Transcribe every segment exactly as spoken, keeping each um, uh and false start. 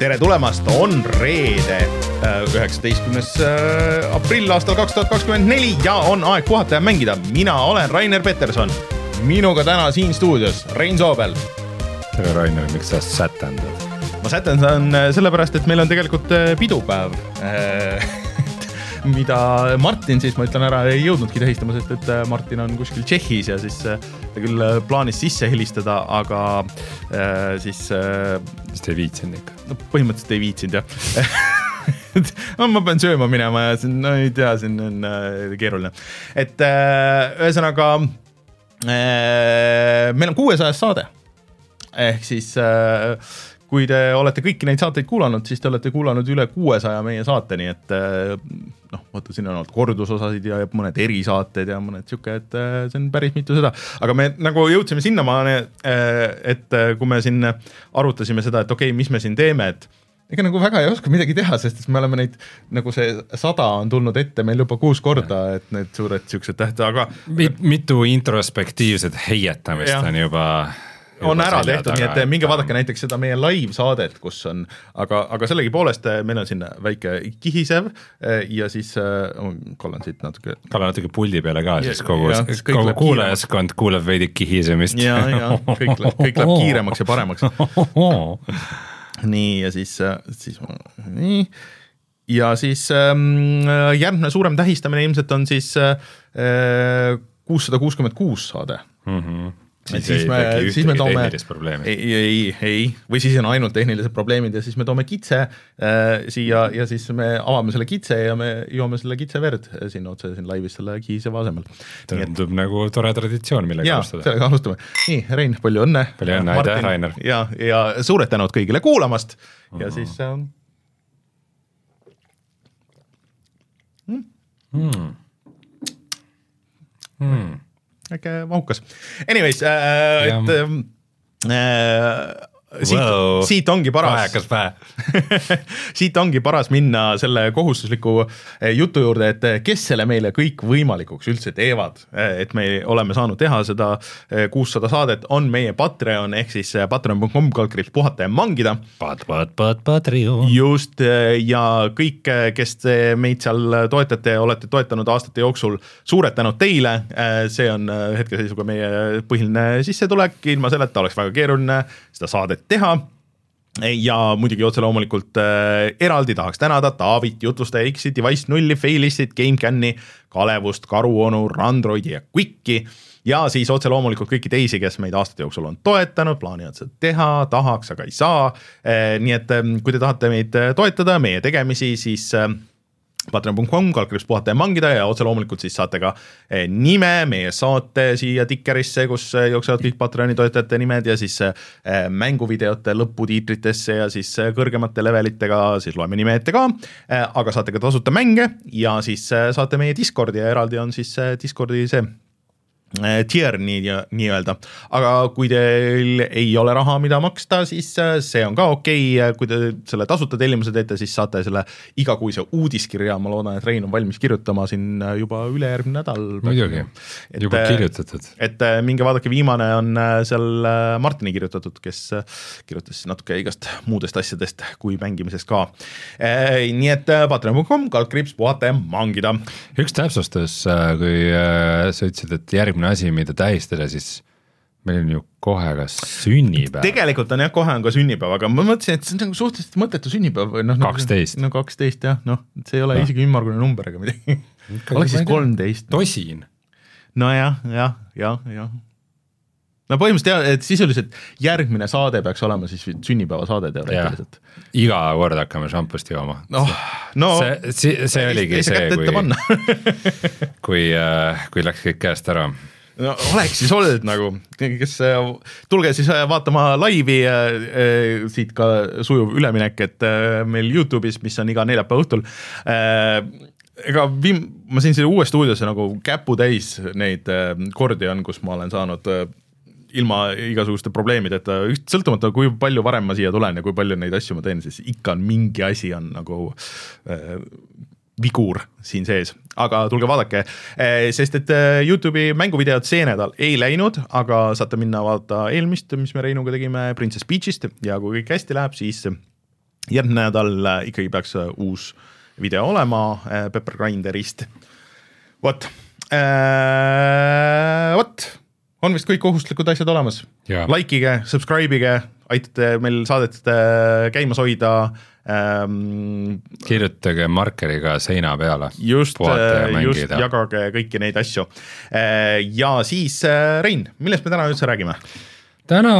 tere tulemast, on reede üheksateistkümnes aprill aastal kaks tuhat kakskümmend neli ja on aeg puhata ja mängida. Mina olen Rainer Peterson, minuga täna siin stuudios Rein Soobel. Tere Rainer, miks sa sätendad? Ma sätendan sellepärast, et meil on tegelikult pidupäev, mida Martin siis, ma ütlen ära, ei jõudnudki tähistama, sest et Martin on kuskil Tšehhis ja siis ta küll plaanis sisse helistada, aga siis... Siis te ei viitsinud ikka? No põhimõtteliselt ei viitsinud, jah. no, ma pean sööma minema ja siin, no ei tea, siin on keeruline. Et ühesõnaga, meil on kuuesajas saade. Ehk siis... Kui te olete kõiki neid saateid kuulanud, siis te olete kuulanud üle kuuesaja meie saate, nii et noh, vaata, siin on olnud kordusosasid ja mõned erisaated ja mõned siuke, et see on päris mitu seda. Aga me nagu jõudsime sinnamaani, et kui me siin arutasime seda, et okei, okay, mis me siin teeme, et ega nagu väga ei oska midagi teha, sest me oleme neid, nagu see sada on tulnud ette meil juba kuus korda, et need suured siuksed tähte, aga... Mitu introspektiivset heietamist ja. on juba... on ära tehtud, nii et minge vaadake näiteks seda meie live-saadet, kus on, aga, aga sellegi poolest meil on siin väike kihisev ja siis oh, Kallan siit natuke... Kallan natuke puldi peale ka, siis kogu, ja, kogu kuulajaskond kuuleb veidi kihisemist. Ja, ja, kõik, kõik läheb kiiremaks ja paremaks. nii, ja siis, siis nii, ja siis järgmine suurem tähistamine ilmselt on siis kuussada kuuskümmend kuus saade. Mhm. Siis, siis, me, siis me toome ei, ei, ei, või siis on ainult tehnilised probleemid ja siis me toome kitse äh, siia ja siis me avame selle kitse ja me joome selle kitse verd siin otse siin laivis selle kihiseva asemel. Tundub nagu tore traditsioon, millega ja, alustada. Sellega alustame. Nii, Rein, palju õnne. Palju õnne, aitäh, Rainer. Ja, ja suured tänud kõigile kuulamast ja mm. siis... Äh... Mm. Mm. Mm. äkki mahukas. Anyways, äh, et äh, siit, wow. siit ongi paras siit ongi paras minna selle kohustusliku jutu juurde, et kes selle meile kõik võimalikuks üldse teevad, et me oleme saanud teha seda kuussada saadet, on meie Patreon, ehk siis patreon punkt com kaldkriips puhata ja mangida. Pat, pat, pat, Patreon. Just, ja kõik, kes te meid seal toetate ja olete toetanud aastate jooksul, suured tänud teile, see on hetkeseisuga meie põhiline sissetulek, ilma selleta oleks väga keeruline seda saadet teha ja muidugi otse loomulikult äh, eraldi tahaks tänada Taavit, Jutlustaja X-it, Device nulli, Failistit, GameCami, Kalevust, Karuonu, Randroidi ja Quicki ja siis otse loomulikult kõiki teisi, kes meid aastate jooksul on toetanud, plaanivad seda teha, tahaks, aga ei saa. Äh, nii et äh, kui te tahate meid toetada, meie tegemisi, siis... Äh, patreon punkt com kaldkriips puhata ja mangida ja otse loomulikult siis saate ka nime meie saate siia tikkerisse, kus jooksevad kõik Patreoni toetajate nimed ja siis mänguvideote lõputiitritesse ja siis kõrgemate levelitega siis loeme nime ette ka, aga saate ka tasuta mänge ja siis saate meie Discordi ja eraldi on siis Discordi see tier nii, nii öelda. Aga kui teil ei ole raha, mida maksta, siis see on ka okei. Kui te selle tasuta tellimuse teete, siis saate selle igakuise uudiskirja. Ma loodan, et Rein on valmis kirjutama siin juba ülejärgmine nädal. Muidugi, juba kirjutatud. Et minge vaadake, viimane on seal Martini kirjutatud, kes kirjutas natuke igast muudest asjadest kui mängimisest ka. Nii et patreon punkt com kaldkriips puhata ja mangida. Üks täpsustus, kui sa ütlesid, et järgmine asi, mida tähistada, siis meil on ju kohe ka sünnipäev. Tegelikult on jah, kohe on ka sünnipäev, aga ma mõtlesin, et see on suhteliselt mõttetu sünnipäev. No, kaksteist. No kaksteist, jah. No, see ei ole no. isegi ümmargune number ega midagi. Oleks siis kolmteist. Tosin. No jah, jah, jah, jah. No põhimõtteliselt, et sisuliselt järgmine saade peaks olema siis sünnipäeva saade teoreetiliselt. Iga kord hakkame šampust jooma. No, no, see, see, see oligi see, kui, kui, kui läks kõik käest ära. No oleks siis olnud nagu, kes tulge siis vaatama laivi, siit ka sujuv üleminek, et meil YouTube'is, mis on iga neljapäeva õhtul, ega viim, ma siin selle uue stuudiosse nagu käpu täis neid kordi on, kus ma olen saanud ilma igasuguste probleemideta, sõltumata kui palju varem ma siia tulen ja kui palju neid asju ma teen, siis ikka on mingi asi on nagu äh, vigur siin sees, aga tulge vaadake, sest et YouTube'i mänguvideod see nädal ei läinud, aga saate minna vaadata eelmist, mis me Reinuga tegime Princess Peachist ja kui kõik hästi läheb, siis järgmine nädal ikkagi peaks uus video olema Pepper Grinderist. Vot, vot, on vist kõik kohustuslikud asjad olemas. Likeige, subscribeige, aitate meil saadet käimas hoida. Ähm, kirjutage markeriga seina peale. Just, just jagage kõiki neid asju. Ja siis, Rein, millest me täna üldse räägime? Täna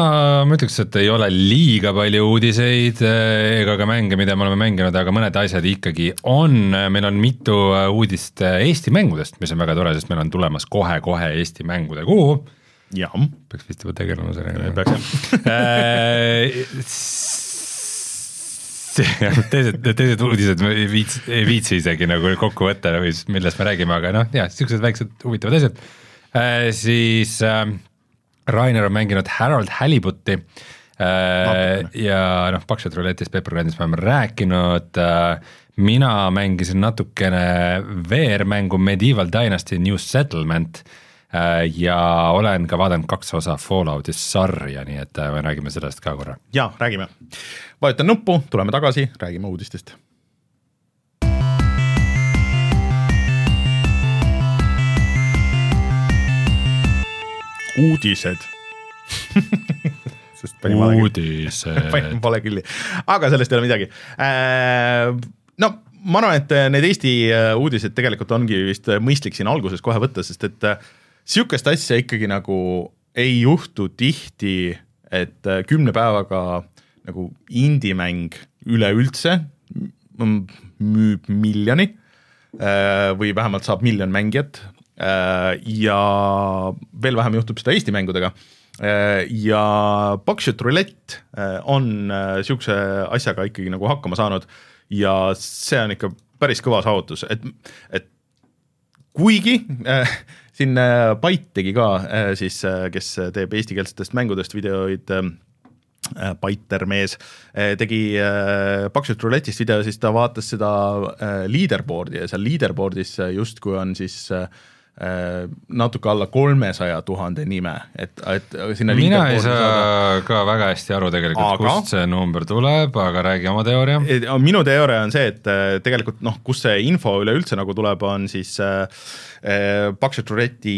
ma ütleks, et ei ole liiga palju uudiseid ega ka mänge, mida me oleme mänginud, aga mõned asjad ikkagi on. Meil on mitu uudist Eesti mängudest, mis on väga tore, sest meil on tulemas kohe-kohe Eesti mängude kuu. Ja. Peaks vist juba tegelema sellega. Peaks jah. teised, teised uudised ei viitsi, ei viitsi isegi nagu kokku võtta, millest me räägime, aga noh, jah, siuksed väiksed huvitavad asjad. Siis Rainer on mänginud Harold Halibuti äh, ja noh, Pakshot Roulettis, Pepper Grindis me oleme rääkinud, mina mängisin natukene V R-mängu Medieval Dynasty New Settlement äh, ja olen ka vaadanud kaks osa Fallouti sarja, nii et me räägime sellest ka korra. Jaa, räägime. Vajutan nuppu, tuleme tagasi, räägime uudistest. Uudised Uudised panin pole külli, aga sellest ei ole midagi. No ma arvan, et need Eesti uudised tegelikult ongi vist mõistlik siin alguses kohe võtta, sest et siukest asja ikkagi nagu ei juhtu tihti, et kümne päevaga nagu indie-mäng üleüldse müüb miljoni või vähemalt saab miljon mängijat. Ja veel vähem juhtub seda Eesti mängudega ja Pakshot Roulette on siukse asjaga ikkagi nagu hakkama saanud ja see on ikka päris kõva saavutus, et, et kuigi äh, siin Byte tegi ka äh, siis, kes teeb eestikeelsetest mängudest videoid äh, Byter mees tegi Pakshot Roulettist video, siis ta vaatas seda leaderboardi ja seal leaderboardis justkui on siis natuke alla kolmesaja tuhande nime, et, et sinna mina ei saa saada. Ka väga hästi aru tegelikult, aga, kust see number tuleb, aga räägi oma teooria. Minu teooria on see, et tegelikult noh, kus see info üleüldse nagu tuleb, on siis äh, Pakshot Rouletti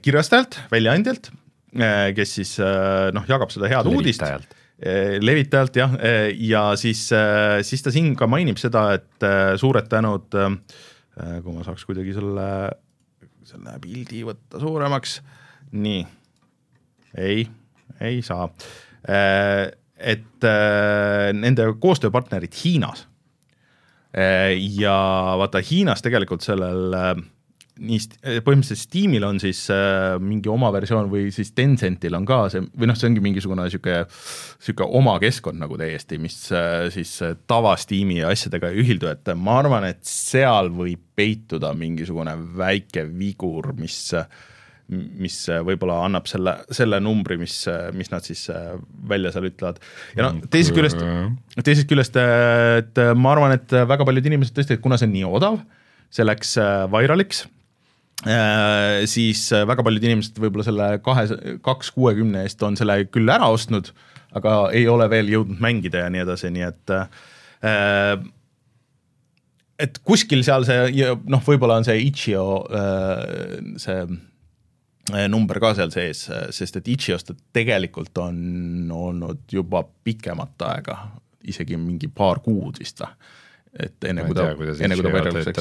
kirjastajalt, väljaandjalt, kes siis noh, jagab seda head levitajalt. uudist. Levitajalt, jah, ja siis, siis ta siin ka mainib seda, et suured tänud, kui ma saaks kuidagi selle selle pildi võtta suuremaks, nii, ei, ei saa, et nende koostööpartnerid Hiinas ja vaata Hiinas tegelikult sellel nii põhimõtteliselt Steamil on siis mingi oma versioon või siis Tencentil on ka see, või noh, see ongi mingisugune siuke, siuke oma keskkond nagu täiesti, mis siis tava Steami asjadega ei ühildu, et ma arvan, et seal võib peituda mingisugune väike vigur, mis, mis võib-olla annab selle, selle numbri, mis, mis nad siis välja seal ütlevad. Ja no teisest küljest, teisest küljest, et ma arvan, et väga paljud inimesed tõesti, et kuna see on nii odav, see läks viraliks, Äh, siis väga paljud inimesed võib-olla selle kahe, kaks kuuekümne eest on selle küll ära ostnud, aga ei ole veel jõudnud mängida ja nii edasi, nii et äh, et kuskil seal see, noh, võib-olla on see Itch.io äh, see number ka seal sees, sest et Itch.iost tegelikult on olnud juba pikemat aega, isegi mingi paar kuud vist või. Et enne kui ta, enne kui ta viraliks,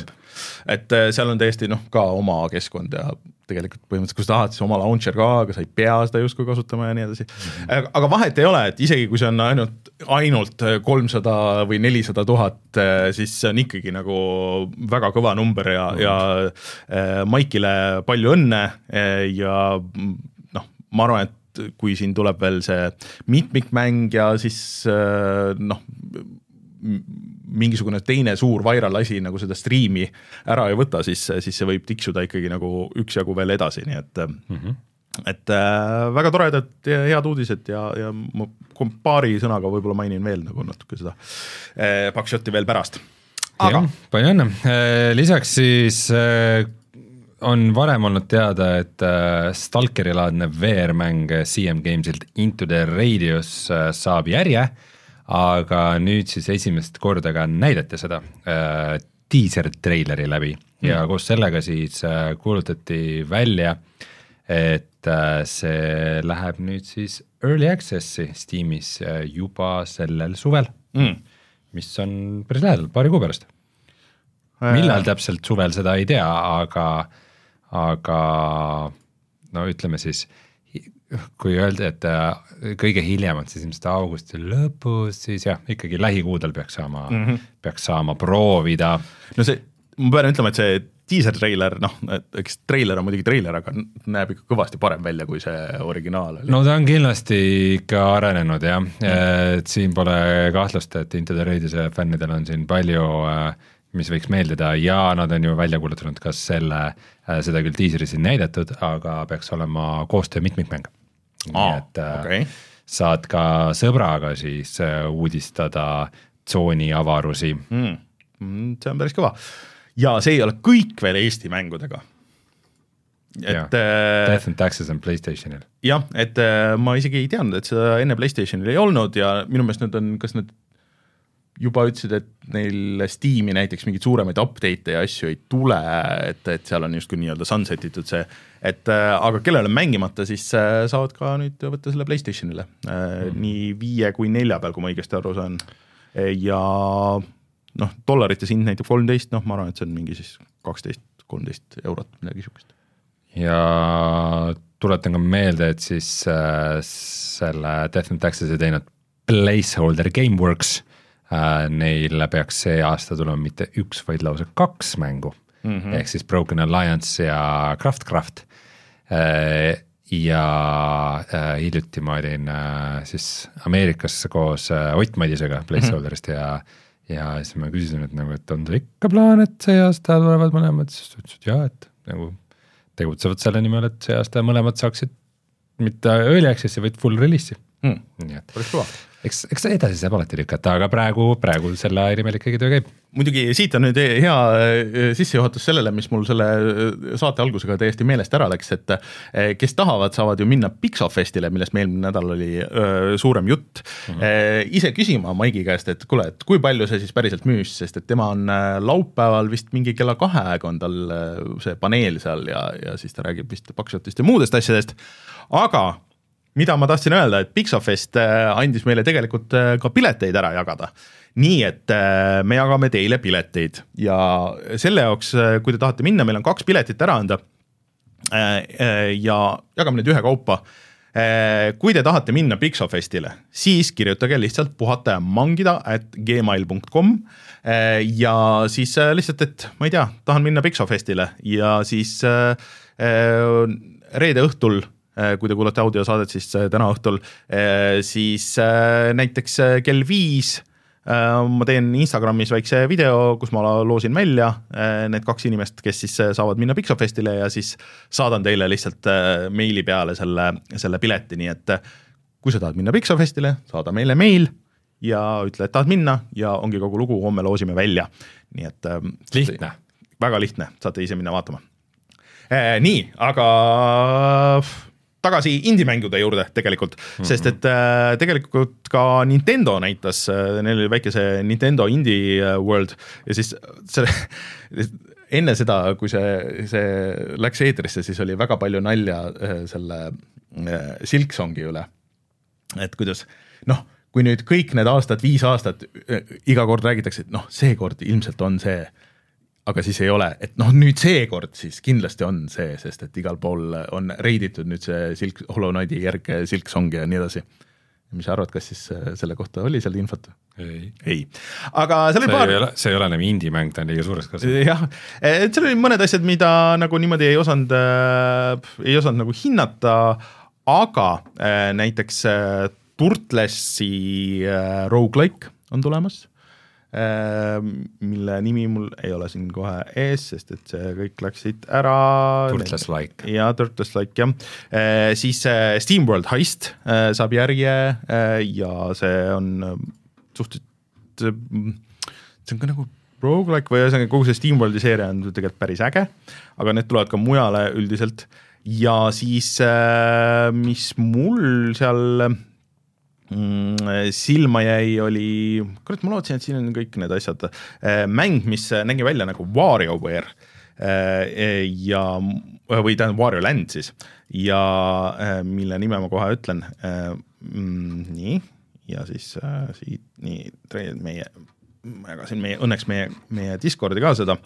et seal on täiesti noh, ka oma keskkond ja tegelikult põhimõtteliselt, kui sa tahad, siis oma launcher ka, aga sa ei pea seda justkui kasutama ja nii edasi. Mm-hmm. Aga vahet ei ole, et isegi kui see on ainult, ainult kolmsada või nelisada tuhat, siis see on ikkagi nagu väga kõva number ja, mm-hmm. ja Maikile palju õnne ja noh, ma arvan, et kui siin tuleb veel see mitmikmäng ja siis noh, mingisugune teine suur viral asi nagu seda striimi ära ei võta, siis, siis see võib tiksuda ikkagi nagu üksjagu veel edasi, nii et mm-hmm. et äh, väga toredad ja head uudised ja, ja ma paari sõnaga võib-olla mainin veel nagu natuke seda äh, Pakshoti veel pärast. Aga palju õnne. Lisaks siis äh, on varem olnud teada, et äh, Stalkeri laadne V R-mäng C M Gamesilt Into the Radius äh, saab järje, aga nüüd siis esimest korda ka näidati seda äh, teaser-treileri läbi mm. ja koos sellega siis äh, kuulutati välja, et äh, see läheb nüüd siis Early Access'i Steamis äh, juba sellel suvel mm., mis on päris lähedal, paari kuu pärast. Millal täpselt suvel, seda ei tea, aga, aga no ütleme siis, kui öeldi, et kõige hiljem on siis ilmselt augusti lõpus, siis jah, ikkagi lähikuudel peaks saama, mm-hmm. peaks saama proovida. No see, ma pean ütlema, et see teaser-trailer, noh, eks trailer on muidugi trailer, aga näeb ikka kõvasti parem välja kui see originaal. No ta on kindlasti ikka arenenud jah, et siin pole kahtlust, et Into the Raidise fännidel on siin palju, mis võiks meeldida ja nad on ju välja kuulutanud kas selle, seda küll teaseris siin näidatud, aga peaks olema koostöö mitmikmäng. Nii et okay. saad ka sõbraga siis uudistada tsooni avarusi. Mm. See on päris kõva. Ja see ei ole kõik veel Eesti mängudega. Et, ja, Death and Taxes on PlayStationil. Jah, et ma isegi ei teadnud, et seda enne PlayStationil ei olnud ja minu meelest nüüd on, kas nad juba ütlesid, et neil Steam'i näiteks mingeid suuremaid update'e ja asju ei tule, et, et seal on justkui nii-öelda sunsetitud see, et aga kellel on mängimata, siis saavad ka nüüd võtta selle PlayStationile mm. nii viie kui nelja peal, kui ma õigesti aru saan. Ja noh, dollarites hind näitab kolmteist, noh ma arvan, et see on mingi siis kaksteist kolmteist eurot, midagi sihukest. Ja tuletan ka meelde, et siis äh, selle Death and Taxes ei teinud Placeholder Gameworks, äh, neil peaks see aasta tulema mitte üks, vaid lausa kaks mängu, mm-hmm. ehk siis Broken Alliance ja Craftcraft äh, ja äh, hiljuti ma olin äh, siis Ameerikas koos äh, Ott Madisega Placeholderist mm-hmm. ja ja siis ma küsisin, et, nagu, et on see ikka plaan, et see aasta tulevad mõlemad, siis ütlesid, et jah, et nagu tegutsevad selle nimel, et see aasta mõlemad saaksid mitte early access'i, vaid full release'i. Hmm. Nii et päris kõva. Eks, eks edasi saab alati lükata, aga praegu, praegu selle nimel ikkagi töö käib. Muidugi siit on nüüd hea sissejuhatus sellele, mis mul selle saate algusega täiesti meelest ära läks, et kes tahavad, saavad ju minna Pixofestile, millest meil nädal oli öö, suurem jutt. Mm-hmm. Ise küsima Maigi käest, et kuule, et kui palju see siis päriselt müüs, sest et tema on laupäeval vist mingi kella kahe aega on tal see paneel seal ja, ja siis ta räägib vist Pakshotist ja muudest asjadest, aga mida ma tahtsin öelda, et Pixofest andis meile tegelikult ka pileteid ära jagada. Nii, et me jagame teile pileteid ja selle jaoks, kui te tahate minna, meil on kaks piletit ära anda ja jagame need ühe kaupa. Kui te tahate minna Pixofestile, siis kirjutage lihtsalt puhata ja mangida at gmail dot com ja siis lihtsalt, et ma ei tea, tahan minna Pixofestile ja siis reede õhtul, kui te kuulate audiosaadet, siis täna õhtul, siis näiteks kell viis ma teen Instagramis väikse video, kus ma loosin välja need kaks inimest, kes siis saavad minna Pixofestile ja siis saadan teile lihtsalt meili peale selle, selle pileti, nii et kui sa tahad minna Pixofestile, saada meile meil ja ütle, et tahad minna ja ongi kogu lugu, homme loosime välja. Nii et lihtne. Väga lihtne, saate ise minna vaatama. Nii, aga tagasi indie-mängude juurde tegelikult, mm-hmm. sest et äh, tegelikult ka Nintendo näitas, äh, neil oli väike see Nintendo Indie World ja siis selle, enne seda, kui see, see läks eetrisse, siis oli väga palju nalja äh, selle äh, Silksongi üle. Et kuidas, noh, kui nüüd kõik need aastad, viis aastat, äh, iga kord räägitakse, et noh, see kord ilmselt on see, aga siis ei ole, et noh, nüüd seekord siis kindlasti on see, sest et igal pool on reiditud nüüd see Silk, Hollow Knighti järg Silksong ja nii edasi. Mis sa arvad, kas siis selle kohta oli seal infot? Ei. Ei. Aga seal oli see paar... Ei ole, see ei ole enam indie-mäng, ta on liiga suureks kasvanud. Jah, et seal oli mõned asjad, mida nagu niimoodi ei osanud, äh, ei osanud nagu hinnata, aga äh, näiteks äh, Turtlesi äh, roguelike on tulemas, mille nimi mul ei ole siin kohe ees, sest et see kõik läksid ära. Turtles-like. Ja, Turtles-like, jah. Siis SteamWorld Heist saab järje ja see on suhteliselt, see on ka nagu roguelike või kogu see SteamWorldi seeria on tegelikult päris äge, aga need tulevad ka mujale üldiselt ja siis mis mul seal silma jäi, oli, kurat, ma lootsin, et siin on kõik need asjad, mäng, mis nägi välja nagu WarioWare ja, või tähendab Wario Land siis, ja mille nime ma kohe ütlen, nii, ja siis siit, nii, meie, ma jagasin meie, õnneks meie, meie Discordi ka seda,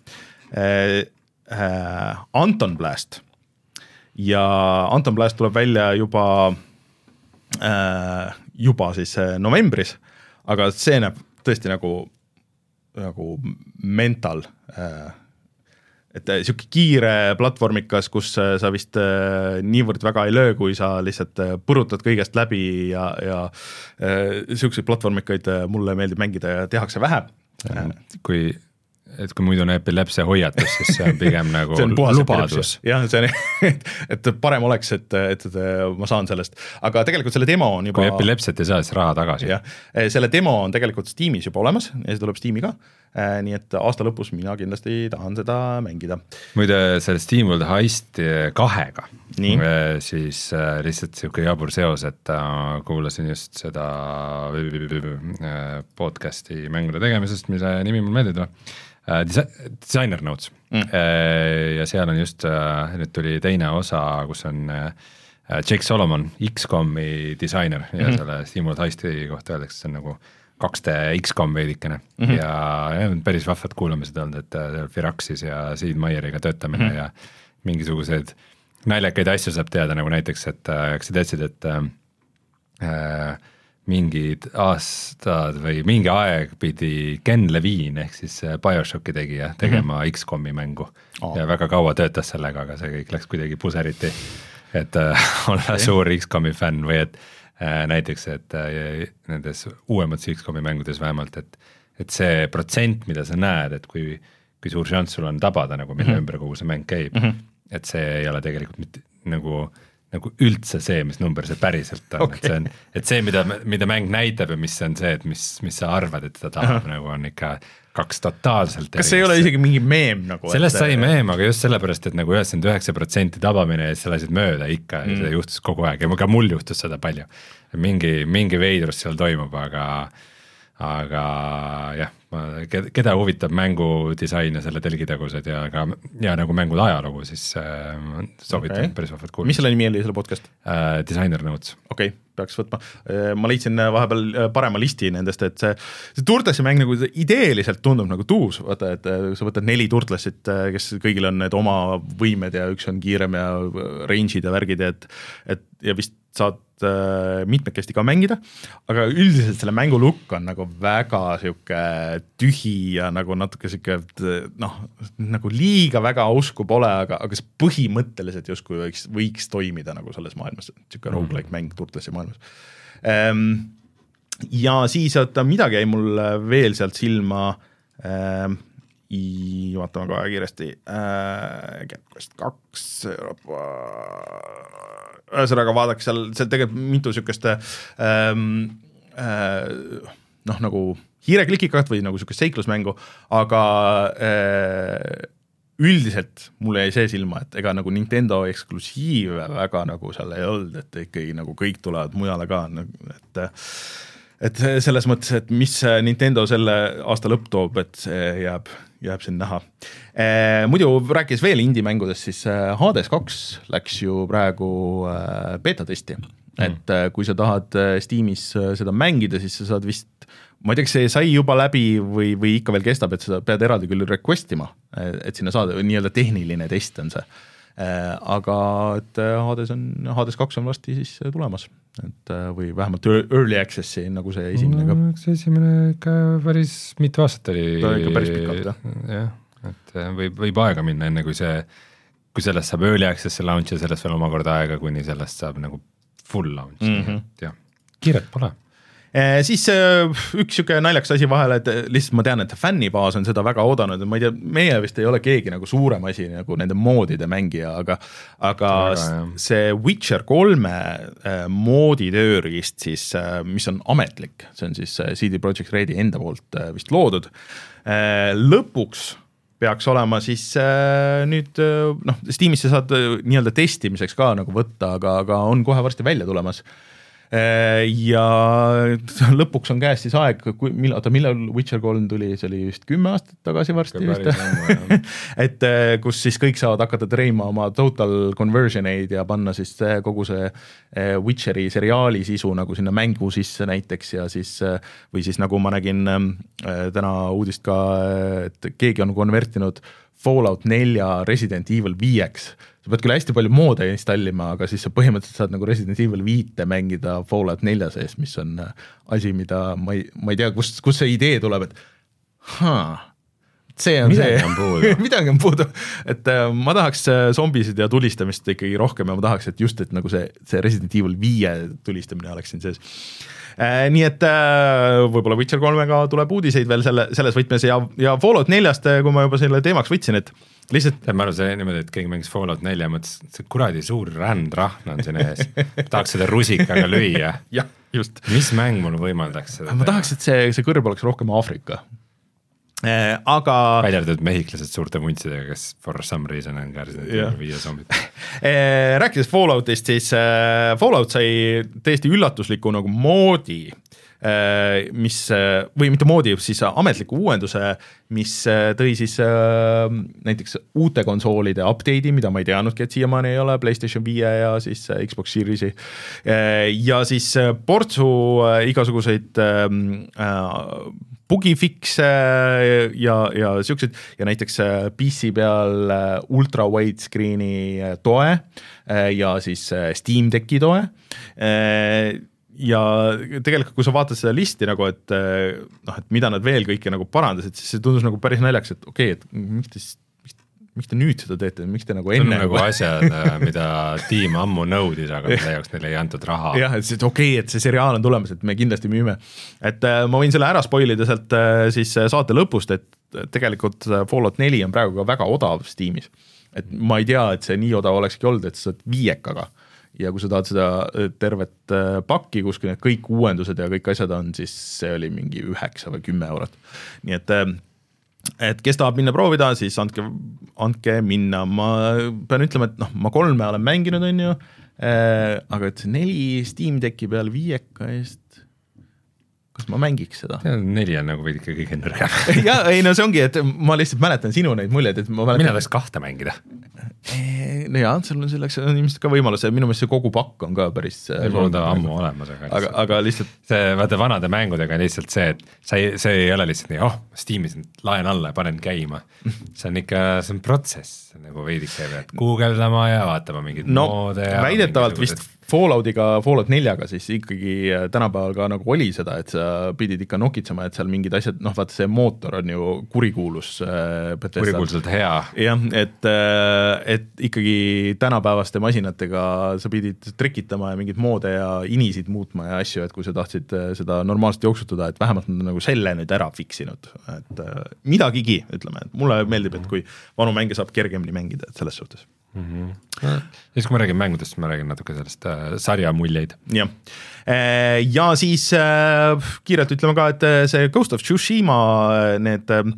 Anton Blast, ja Anton Blast tuleb välja juba juba siis novembris, aga see näeb tõesti nagu, nagu mental, et siuke kiire platvormikas, kus sa vist niivõrd väga ei löö, kui sa lihtsalt põrutad kõigest läbi ja, ja siukseid platvormikaid mulle meeldib mängida ja tehakse vähe. Kui et kui muidu on epilepsia hoiatus, siis see on pigem nagu see on lubadus. Jah, see on, et, et parem oleks, et, et, et ma saan sellest. Aga tegelikult selle demo on juba... Kui epilepsiat ei saa, siis raha tagasi. Jah, selle demo on tegelikult Steamis juba olemas ja see tuleb Steami ka. Nii et aasta lõpus mina kindlasti tahan seda mängida. Muide, selle Steam World Heist kahega, nii? siis lihtsalt siuke jabur seos, et kuulasin just seda podcasti mängude tegemisest, mille nimi mul meeldib tuleb. Designer Notes mm. ja seal on just, nüüd tuli teine osa, kus on Jake Solomon, X COM-i disainer ja mm-hmm. selle Steam World Heisti kohta öeldakse, see on nagu kaks D X COM veidikene mm-hmm. ja, ja päris vahvad kuulamised olnud, et Firaxis ja Sid Meier'iga töötamine mm-hmm. ja mingisugused naljakaid asju saab teada, nagu näiteks, et kas sa teadsid, et äh, mingid aastad või mingi aeg pidi Ken Levine ehk siis BioShocki tegija tegema mm-hmm. X COM-i mängu oh. ja väga kaua töötas sellega, aga see kõik läks kuidagi puseriti, et äh, olla okay. suur X COM-i fänn või et äh, näiteks, et äh, nendes uuemates X COM-i mängudes vähemalt, et, et see protsent, mida sa näed, et kui, kui suur šanss sul on tabada, nagu mille mm-hmm. ümber kogu see mäng käib, mm-hmm. et see ei ole tegelikult mitte nagu nagu üldse see, mis number see päriselt on, okay. et see on, et see, mida, mida mäng näitab ja mis on see, et mis, mis sa arvad, et ta tahab, nagu on ikka kaks totaalselt. Kas see ei ole isegi mingi meem nagu? Sellest et... sai meem, aga just sellepärast, et nagu üheksakümmend üheksa protsenti tabamine ja sa lasid mööda ikka mm. ja see juhtus kogu aeg ja ka mul juhtus seda palju. Mingi, mingi veidrus seal toimub, aga aga jah, keda huvitab mängudisain ja selle telgitagused ja, ka, ja nagu mängude ajalugu, siis äh, soovitan okay. päris vahvad kuulda. Mis selle nimi oli selle podcast? Äh, Designer Notes. Okei, okay, peaks võtma. Ma leidsin vahepeal parema listi nendest, et see, see Turtlesi mäng nagu ideeliselt tundub nagu tuus, vaata, et sa võtad neli Turtlesit, kes kõigil on need oma võimed ja üks on kiirem ja range'id ja värgid, et, et ja vist saad äh, mitmekesti ka mängida, aga üldiselt selle mängu lukk on nagu väga siuke tühi ja nagu natuke siuke noh, nagu liiga väga ausku pole, aga, aga see põhimõtteliselt justkui võiks, võiks toimida nagu selles maailmas, siuke mm. roguelike mäng Turtlesi maailmas ähm, ja siis, et midagi jäi mul veel sealt silma ähm, vaatame kohe kiiresti äh, Capquest kaks Euroopa ühesõnaga vaadake seal, seal tegelikult mitu sükest ähm, äh, noh, nagu hiireklikikat või nagu sükest seiklusmängu, aga äh, üldiselt mulle jäi see silma, et ega nagu Nintendo eksklusiive väga nagu seal ei olnud, et ikkagi nagu kõik tulevad mujale ka, et et selles mõttes, et mis Nintendo selle aasta lõpp toob, et see jääb, jääb siin näha. E, muidu rääkis veel indie-mängudest, siis Hades kaks läks ju praegu beta-testi, mm. et kui sa tahad Steamis seda mängida, siis sa saad vist, ma ei tea, see sai juba läbi või, või ikka veel kestab, et sa pead eraldi küll requestima, et sinna saada, nii-öelda tehniline test on see. Aga et Hades on, Hades kaks on vasti siis tulemas, et või vähemalt early access'i nagu see esimene ka. No, see esimene ikka päris mitu aastat oli. Ta ikka päris pikalt, jah. jah, et võib, võib aega minna enne kui see, kui sellest saab early access'i launch ja sellest veel omakorda aega, kuni sellest saab nagu full launch, mm-hmm. jah, kiiret pole. E, siis üks siuke naljaks asi vahele, et lihtsalt ma tean, et fännibaas on seda väga oodanud ja ma ei tea, meie vist ei ole keegi nagu suurem asi nagu nende moodide mängija, aga, aga väga, see Witcher kolme moodi tööriist siis, mis on ametlik, see on siis C D Projekt Redi enda poolt vist loodud, lõpuks peaks olema siis nüüd, noh, Steamisse saad nii-öelda testimiseks ka nagu võtta, aga, aga on kohe varsti välja tulemas. ja lõpuks on käes siis aeg, millal, millal Witcher kolm tuli, see oli just kümme aastat tagasi varsti vist, et kus siis kõik saavad hakata treima oma total conversion eid ja panna siis kogu see Witcheri seriaali sisu nagu sinna mängu sisse näiteks ja siis, või siis nagu ma nägin täna uudist ka, et keegi on konvertinud Fallout nelja Resident Evil viieks. Sa pead küll hästi palju moode installima, aga siis sa põhimõtteliselt saad nagu Resident Evil viite mängida Fallout nelja sees, mis on asi, mida ma ei, ma ei tea, kust, kust see idee tuleb, et haa, see on midagi see, on puudu. midagi on puudu, et ma tahaks zombisid ja tulistamist ikkagi rohkem ja ma tahaks, et just, et nagu see, see Resident Evil viie tulistamine oleks siin sees. Äh, nii et äh, võib-olla Witcher kolmega tuleb uudiseid veel selle, selles võtmes ja, ja Fallout neljast, kui ma juba selle teemaks võtsin, et lihtsalt ma arvan, see niimoodi, et keegi mängis Fallout nelja, mõtles, see kuradi suur rändrahn on siin ees, tahaks seda rusikaga lüüa. jah, just. Mis mäng mul võimaldaks seda? Ma tahaks, et see, see kõrb oleks rohkem Aafrika. Eh, aga välja arvatud mehhiklased suurte vuntsidega, kes for some reason on ka viie zombid. eh, rääkides Falloutist, siis eh, Fallout sai täiesti üllatusliku nagu moodi, eh, mis, või mitte moodi, siis ametliku uuenduse, mis tõi siis eh, näiteks uute konsoolide update'i, mida ma ei teadnudki, et siiamaani ei ole, PlayStation viie ja siis Xbox Series'i eh, ja siis portsu eh, igasuguseid eh, bugifixe ja, ja siuksed ja näiteks P C peal ultra widescreeni toe ja siis Steam Decki toe ja tegelikult kui sa vaatad seda listi nagu, et noh, et mida nad veel kõike nagu parandasid, siis see tundus nagu päris naljaks, et okei, okay, et miks te siis miks te nüüd seda teete, miks te nagu enne see on nagu asjad, mida tiim ammu nõudis, aga mille jaoks neile ei antud raha. jah, et see, et okei, okay, et see seriaal on tulemas, et me kindlasti müüme. Et äh, ma võin selle ära spoilida sealt äh, siis saate lõpust, et tegelikult Fallout neli on praegu ka väga odav Steamis. Et ma ei tea, et see nii odav olekski olnud, et sa saad viiekaga. Ja kui sa tahad seda tervet äh, pakki, kus need kõik uuendused ja kõik asjad on, siis see oli mingi üheksa või kümme eurot. Nii et äh, et kes tahab minna proovida, siis andke, andke minna. Ma pean ütlema, et noh, ma kolme olen mänginud, on ju, äh, aga et see neli Steam Decki peal viieka eest, kas ma mängiks seda? Neli on nagu veidike kõige nõrgem. ja, ei no see ongi, et ma lihtsalt mäletan sinu neid muljeid, et ma mäletan... Mina tahaks kahte mängida. No jaa, seal on selleks on ilmselt ka võimalus, minu meelest see kogu pakk on ka päris mul on ta ammu olemas, aga, aga, aga lihtsalt see vaata vanade mängudega on lihtsalt see, et sa ei, see ei ole lihtsalt nii, oh, Steamis laen alla ja panen käima. See on ikka, see on protsess, nagu veidike pead guugeldama ja vaatama mingid no, moode ja väidetavalt vist Falloutiga, Fallout neljaga siis ikkagi tänapäeval ka nagu oli seda, et sa pidid ikka nokitsema, et seal mingid asjad, noh vaata see mootor on ju kurikuulus kurikuulselt hea. jah, et, et ikkagi tänapäevaste masinatega sa pidid trikitama ja mingid moode ja inisid muutma ja asju, et kui sa tahtsid seda normaalselt jooksutada, et vähemalt nad nagu selle nüüd ära fiksinud, et midagigi, ütleme, et mulle meeldib, et kui vanu mänge saab kergemini mängida, et selles suhtes. Mm-hmm. Siis kui ma räägin mängudest, ma räägin natuke sellest äh, sarja muljeid. Ja. ja siis äh, kiirelt ütleme ka, et see Ghost of Tsushima need äh,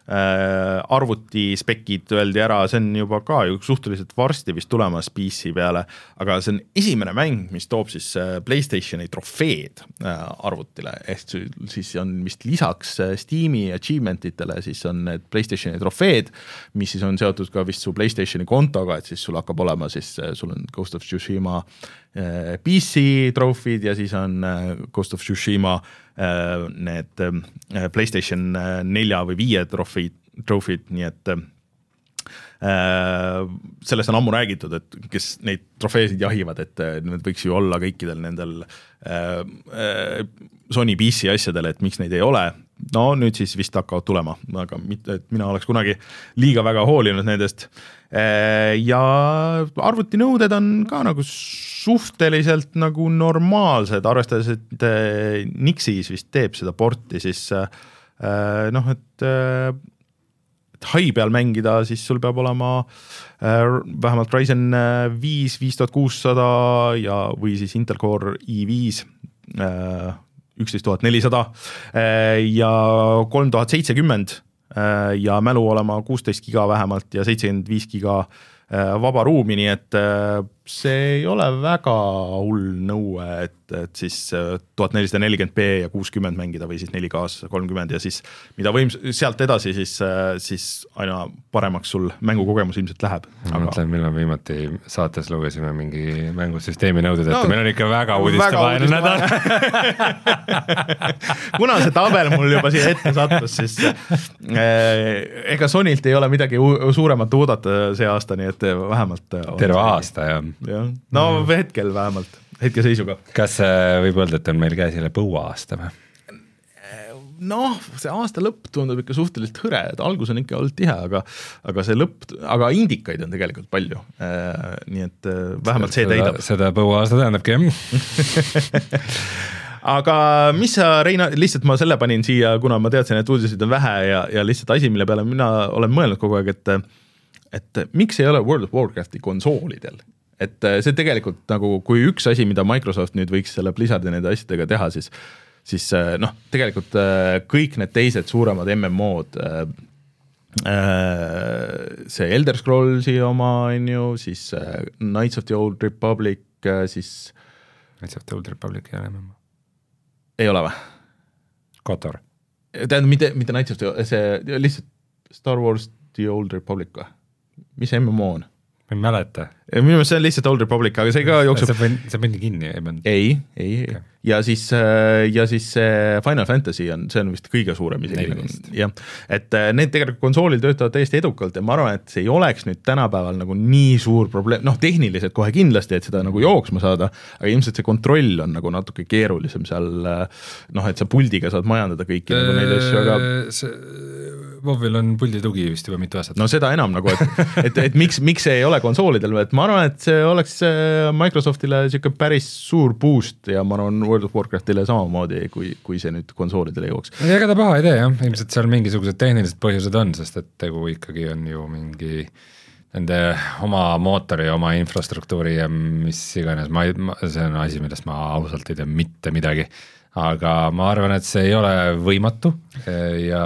arvuti spekid öeldi ära, see on juba ka ju suhteliselt varsti vist tulemas P C peale, aga see on esimene mäng, mis toob siis PlayStationi trofeed arvutile, ehk siis on vist lisaks Steam'i achievementitele, siis on need PlayStationi trofeed, mis siis on seotud ka vist su PlayStationi kontoga, et siis sul hakkab olema siis, sul on Ghost of Tsushima P C trofid ja siis on Ghost of Tsushima need PlayStation nelja või viie trofid, trofid, nii et sellest on ammu räägitud, et kes neid trofeesid jahivad, et need võiks ju olla kõikidel nendel Sony P C asjadel, et miks neid ei ole. No nüüd siis vist hakkavad tulema, aga mitte, et mina oleks kunagi liiga väga hoolinud nendest. Ja arvutinõuded on ka nagu suhteliselt nagu normaalsed, arvestades, et Nixis vist teeb seda porti, siis noh, et, et hai peal mängida, siis sul peab olema vähemalt Ryzen viis, viis tuhat kuussada ja, või siis Intel Core i viis, üksteist tuhat nelisada ja kolm tuhat seitsekümmend ja mälu olema kuusteist giga vähemalt ja seitsekümmend viis giga vaba ruumi, nii et see ei ole väga hull nõue, et, et siis tuhat nelisada nelikümmend p ja kuuskümmend mängida või siis neli K-s kolmkümmend ja siis mida võim sealt edasi, siis, siis aina paremaks sul mängukogemus ilmselt läheb. Ma mõtlen, millal viimati saates lugesime mingi mängusüsteemi nõuded, et no, meil on ikka väga uudistevaene nädal. Kuna see tabel mul juba siia ette sattus, siis eh, ega Sonylt ei ole midagi suuremat oodata see aasta, nii et vähemalt terve aasta, jah. Ja. No mm. hetkel vähemalt, hetke seisuga. Kas võib öelda, et on meil käes jälle põua aasta või? Noh, see aasta lõpp tundub ikka suhteliselt hõre, et algus on ikka olnud tihe, aga, aga see lõpp, aga indikaid on tegelikult palju. Nii et vähemalt see täidab. Seda põua aasta tähendabki, jah. Aga mis sa, Reina, lihtsalt ma selle panin siia, kuna ma teadsin, et uudiseid on vähe ja, ja lihtsalt asi, mille peale mina olen mõelnud kogu aeg, et et miks ei ole World of Warcrafti konsoolidel? Et see tegelikult nagu, kui üks asi, mida Microsoft nüüd võiks selle Blizzardi nende asjadega teha, siis, siis noh, tegelikult kõik need teised suuremad M M O-d, see Elder Scrollsi oma, on ju, siis Knights of the Old Republic, siis Knights of the Old Republic ei ole M M O. Ei ole või? Kotor. Tähendab, mitte, mitte Knights of the Old, see lihtsalt Star Wars the Old Republic või? Mis M M O on? Ma ei mäleta. Minu meelest see on lihtsalt Old Republic, aga see ka jookseb... See pandi kinni, ei pandi? Ei, ei, okay. ja siis, ja siis Final Fantasy on, see on vist kõige suurem isegi. Ja, et need tegelikult konsoolil töötavad täiesti edukalt ja ma arvan, et see ei oleks nüüd tänapäeval nagu nii suur probleem, noh tehniliselt kohe kindlasti, et seda nagu jooksma saada, aga ilmselt see kontroll on nagu natuke keerulisem seal, noh, et sa puldiga saad majandada kõiki nagu neid asju, aga... See... Vovil on puldi tugi vist juba mitu aastat. No seda enam nagu, et, et, et miks, miks see ei ole konsoolidel, et ma arvan, et see oleks Microsoftile siuke päris suur boost ja ma arvan World of Warcraftile samamoodi, kui, kui see nüüd konsoolidele jooks. Ega ta paha ei tee, jah. Ilmselt seal mingisugused tehnilised põhjused on, sest et tegu ikkagi on ju mingi nende oma mootori, oma infrastruktuuri ja mis iganes, ma, ma, see on asi, millest ma ausalt ei tea mitte midagi. Aga ma arvan, et see ei ole võimatu ja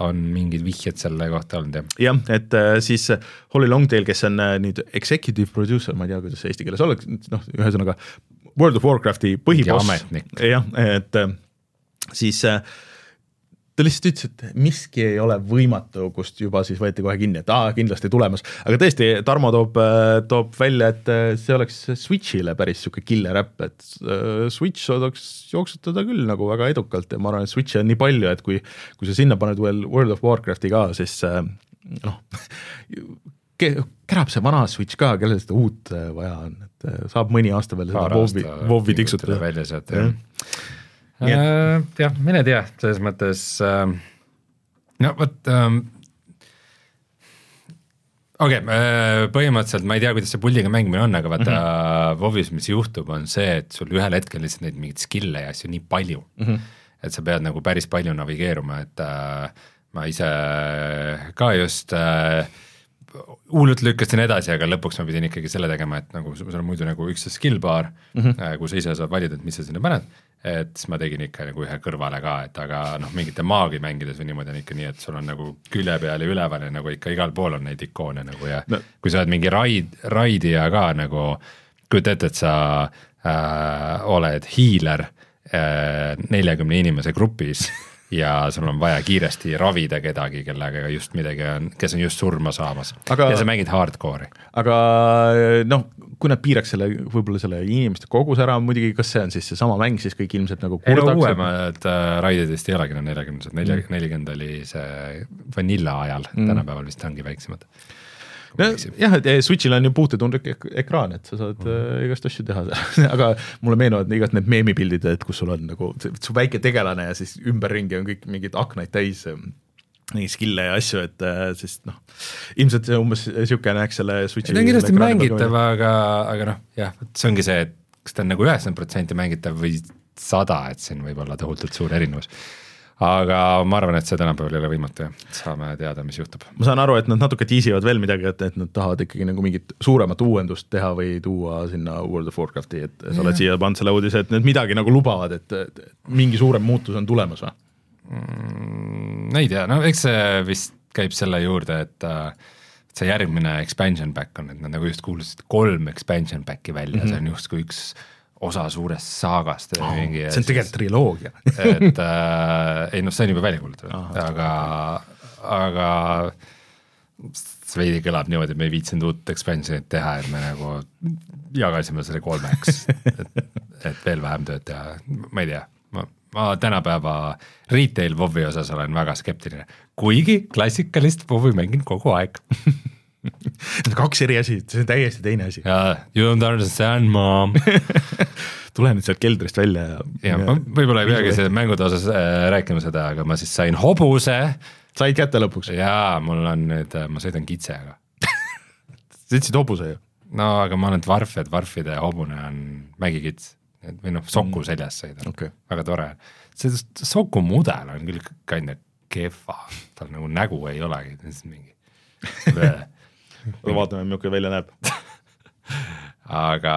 on mingid vihjed selle kohta olnud. Jah, et siis Holly Longtail, kes on nüüd executive producer, ma ei tea, kuidas see eesti keeles oleks, noh, ühesõnaga World of Warcrafti põhiboss. Jah, et siis ta lihtsalt ütles, et miski ei ole võimatu, kust juba siis võeti kohe kinni, et aa, kindlasti tulemas. Aga tõesti, Tarmo toob, toob välja, et see oleks Switchile päris siuke killer äpp, et Switch saadaks jooksutada küll nagu väga edukalt ja ma arvan, et Switchi on nii palju, et kui, kui sa sinna paned veel World of Warcrafti ka, siis noh, kärab see vana Switch ka, kellel seda uut vaja on, et saab mõni aasta veel seda Vovi, Vovi tiksutada. Välja sealt, jah. Ja, jah, mine tea, selles mõttes äh, no võt ähm, okei, okay, äh, põhimõtteliselt ma ei tea, kuidas see puldiga mängimine on, aga vaata mm -hmm. Vovis, mis juhtub, on see, et sul ühel hetkel lihtsalt neid mingid skille ja asju nii palju mm, -hmm. et sa pead nagu päris palju navigeeruma, et äh, ma ise ka just äh, hullult lükkasin edasi, aga lõpuks ma pidin ikkagi selle tegema, et nagu sul on muidu nagu üks skill bar mm, -hmm. kus sa ise saad valida, et mis sa sinna paned, et siis ma tegin ikka nagu ühe kõrvale ka, et aga noh, mingite maagi mängides või niimoodi on ikka nii, et sul on nagu külje peal ja üleval ja nagu ikka igal pool on neid ikoone nagu ja no. Kui sa oled mingi raid, raidija ka nagu, kujuta ette, et sa äh, oled hiiler äh, neljakümne inimese grupis ja sul on vaja kiiresti ravida kedagi, kellega just midagi on, kes on just surma saamas aga, ja sa mängid hardcore'i. Aga noh, kui nad piiraks selle, võib-olla selle inimeste kogus ära, muidugi kas see on siis see sama mäng, siis kõik ilmselt nagu kurdaks. Ei no uuemad äh, raididest ei olegi neljakümnesed, nelikümmend oli see vanilla ajal, mm. tänapäeval vist ongi väiksemad. No, jah, et Switchil on ju puutetundlik ek ekraan, et sa saad mm. äh, igast asju teha, aga mulle meenuvad igast need meemipildid, et kus sul on nagu su väike tegelane ja siis ümberringi on kõik mingid aknaid täis nii skille ja asju, et siis noh, ilmselt see umbes siuke näeks selle Switchi. See on kindlasti mängitav, aga, aga noh, jah, see ongi see, et kas ta on nagu üheksakümmend protsenti mängitav või sada, et siin võib olla tohutult suur erinevus. Aga ma arvan, et see tänapäeval ei ole võimatu ja saame teada, mis juhtub. Ma saan aru, et nad natuke tiisivad veel midagi, et, et nad tahavad ikkagi nagu mingit suuremat uuendust teha või tuua sinna World of Warcrafti, et sa oled siia pannud selle uudise, et need midagi nagu lubavad, et, et mingi suurem muutus on tulemas või? Mm, ei tea, no eks see vist käib selle juurde, et see järgmine expansion pack on, et nad nagu just kuulusid kolm expansion packi välja mm, -hmm. see on just kui üks osa suurest saagast oh, mingi, see on tegelikult triloogia et äh, ei noh, see on juba välja kuulutatud, aga aga see veidi kõlab niimoodi, et me ei viitsinud uut expansionit teha, et me nagu jagasime selle kolmeks, et, et veel vähem tööd teha, ma ei tea, ma, ma tänapäeva retail WoW-i osas olen väga skeptiline, kuigi klassikalist WoW-i mängin kogu aeg kaks eri asi, see on täiesti teine asi. jaa, you don't understand, mom tule nüüd sealt keldrist välja ja, ja, ja ma võib-olla ei peagi see mängude osas äh, rääkima seda, aga ma siis sain hobuse. Said kätte lõpuks? jaa, mul on nüüd, ma sõidan kitsega sa ütlesid hobuse ju? no aga ma olen dvarf ja dvarfide hobune on mägikits või noh, soku mm. seljas sõidan okay., väga tore. see soku mudel on küll kinda kehva, tal nagu nägu ei olegi, mingi vaatame, milline välja näeb aga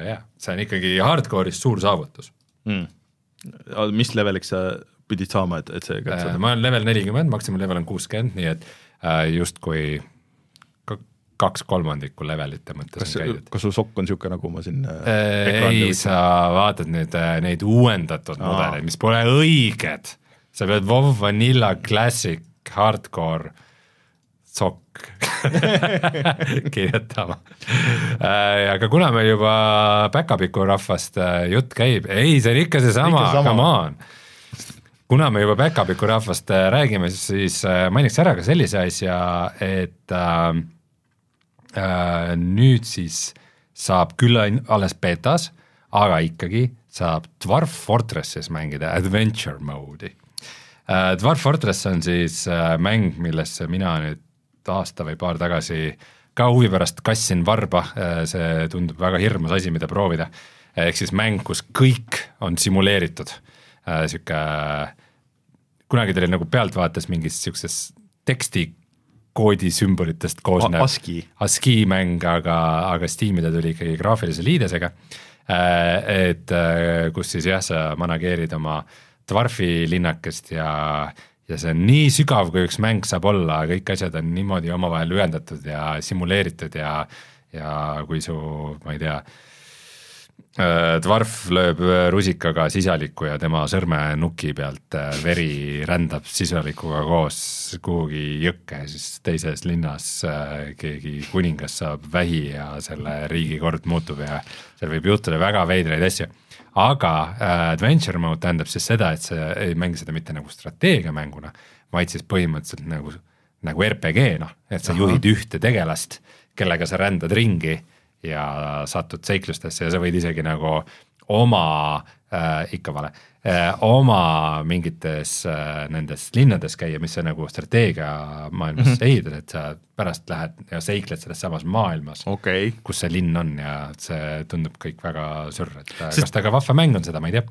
jah, see on ikkagi hardcore'is suur saavutus mm. mis leveliks sa pidid saama, et, et see äh, ma olen level nelikümmend, maksimum level on kuuskümmend, nii et äh, justkui kaks kolmandikku levelite mõttes kas, kas sul sokk on niisugune, nagu ma siin äh, ei, sa vaatad nüüd äh, neid uuendatud Aa. mudeleid, mis pole õiged, sa pead WoW Vanilla Classic Hardcore sokk kirjutama äh, aga kuna me juba päkapiku rahvast äh, jutt käib, ei, see on ikka see sama, come on kuna me juba päkapiku rahvast äh, räägime, siis äh, mainiks ära ka sellise asja, et äh, äh, nüüd siis saab küll alles betas, aga ikkagi saab Dwarf Fortressis mängida adventure mode'i äh, Dwarf Fortress on siis äh, mäng, millesse mina nüüd aasta või paar tagasi ka huvi pärast kassin varba, see tundub väga hirmus asi, mida proovida, ehk siis mäng, kus kõik on simuleeritud, siuke, kunagi teil nagu pealtvaates mingis siukses tekstikoodi sümbolitest koosnev ASCII, ASCII mäng, aga, aga Steam'i ta tuli ikkagi graafilise liidesega, et kus siis jah, sa manageerid oma dwarfi linnakest ja ja see on nii sügav, kui üks mäng saab olla, kõik asjad on niimoodi omavahel ühendatud ja simuleeritud ja, ja kui su, ma ei tea, dwarf lööb rusikaga sisaliku ja tema sõrme nuki pealt veri rändab sisalikuga koos kuhugi jõkke, siis teises linnas keegi kuningas saab vähi ja selle riigi kord muutub ja seal võib juhtuda väga veidraid asju. Aga äh, adventure mode tähendab siis seda, et sa ei mängi seda mitte nagu strateegiamänguna, vaid siis põhimõtteliselt nagu, nagu R P G-na, et sa Aha. juhid ühte tegelast, kellega sa rändad ringi ja satud seiklustesse ja sa võid isegi nagu oma, äh, ikka vale, äh, oma mingites äh, nendes linnades käia, mis sa nagu strateegia maailmas mm -hmm. ehitad, et sa pärast lähed ja seikled selles samas maailmas, okay. kus see linn on ja see tundub kõik väga sürr, et Sest... kas ta ka vahva mäng on seda, ma ei tea.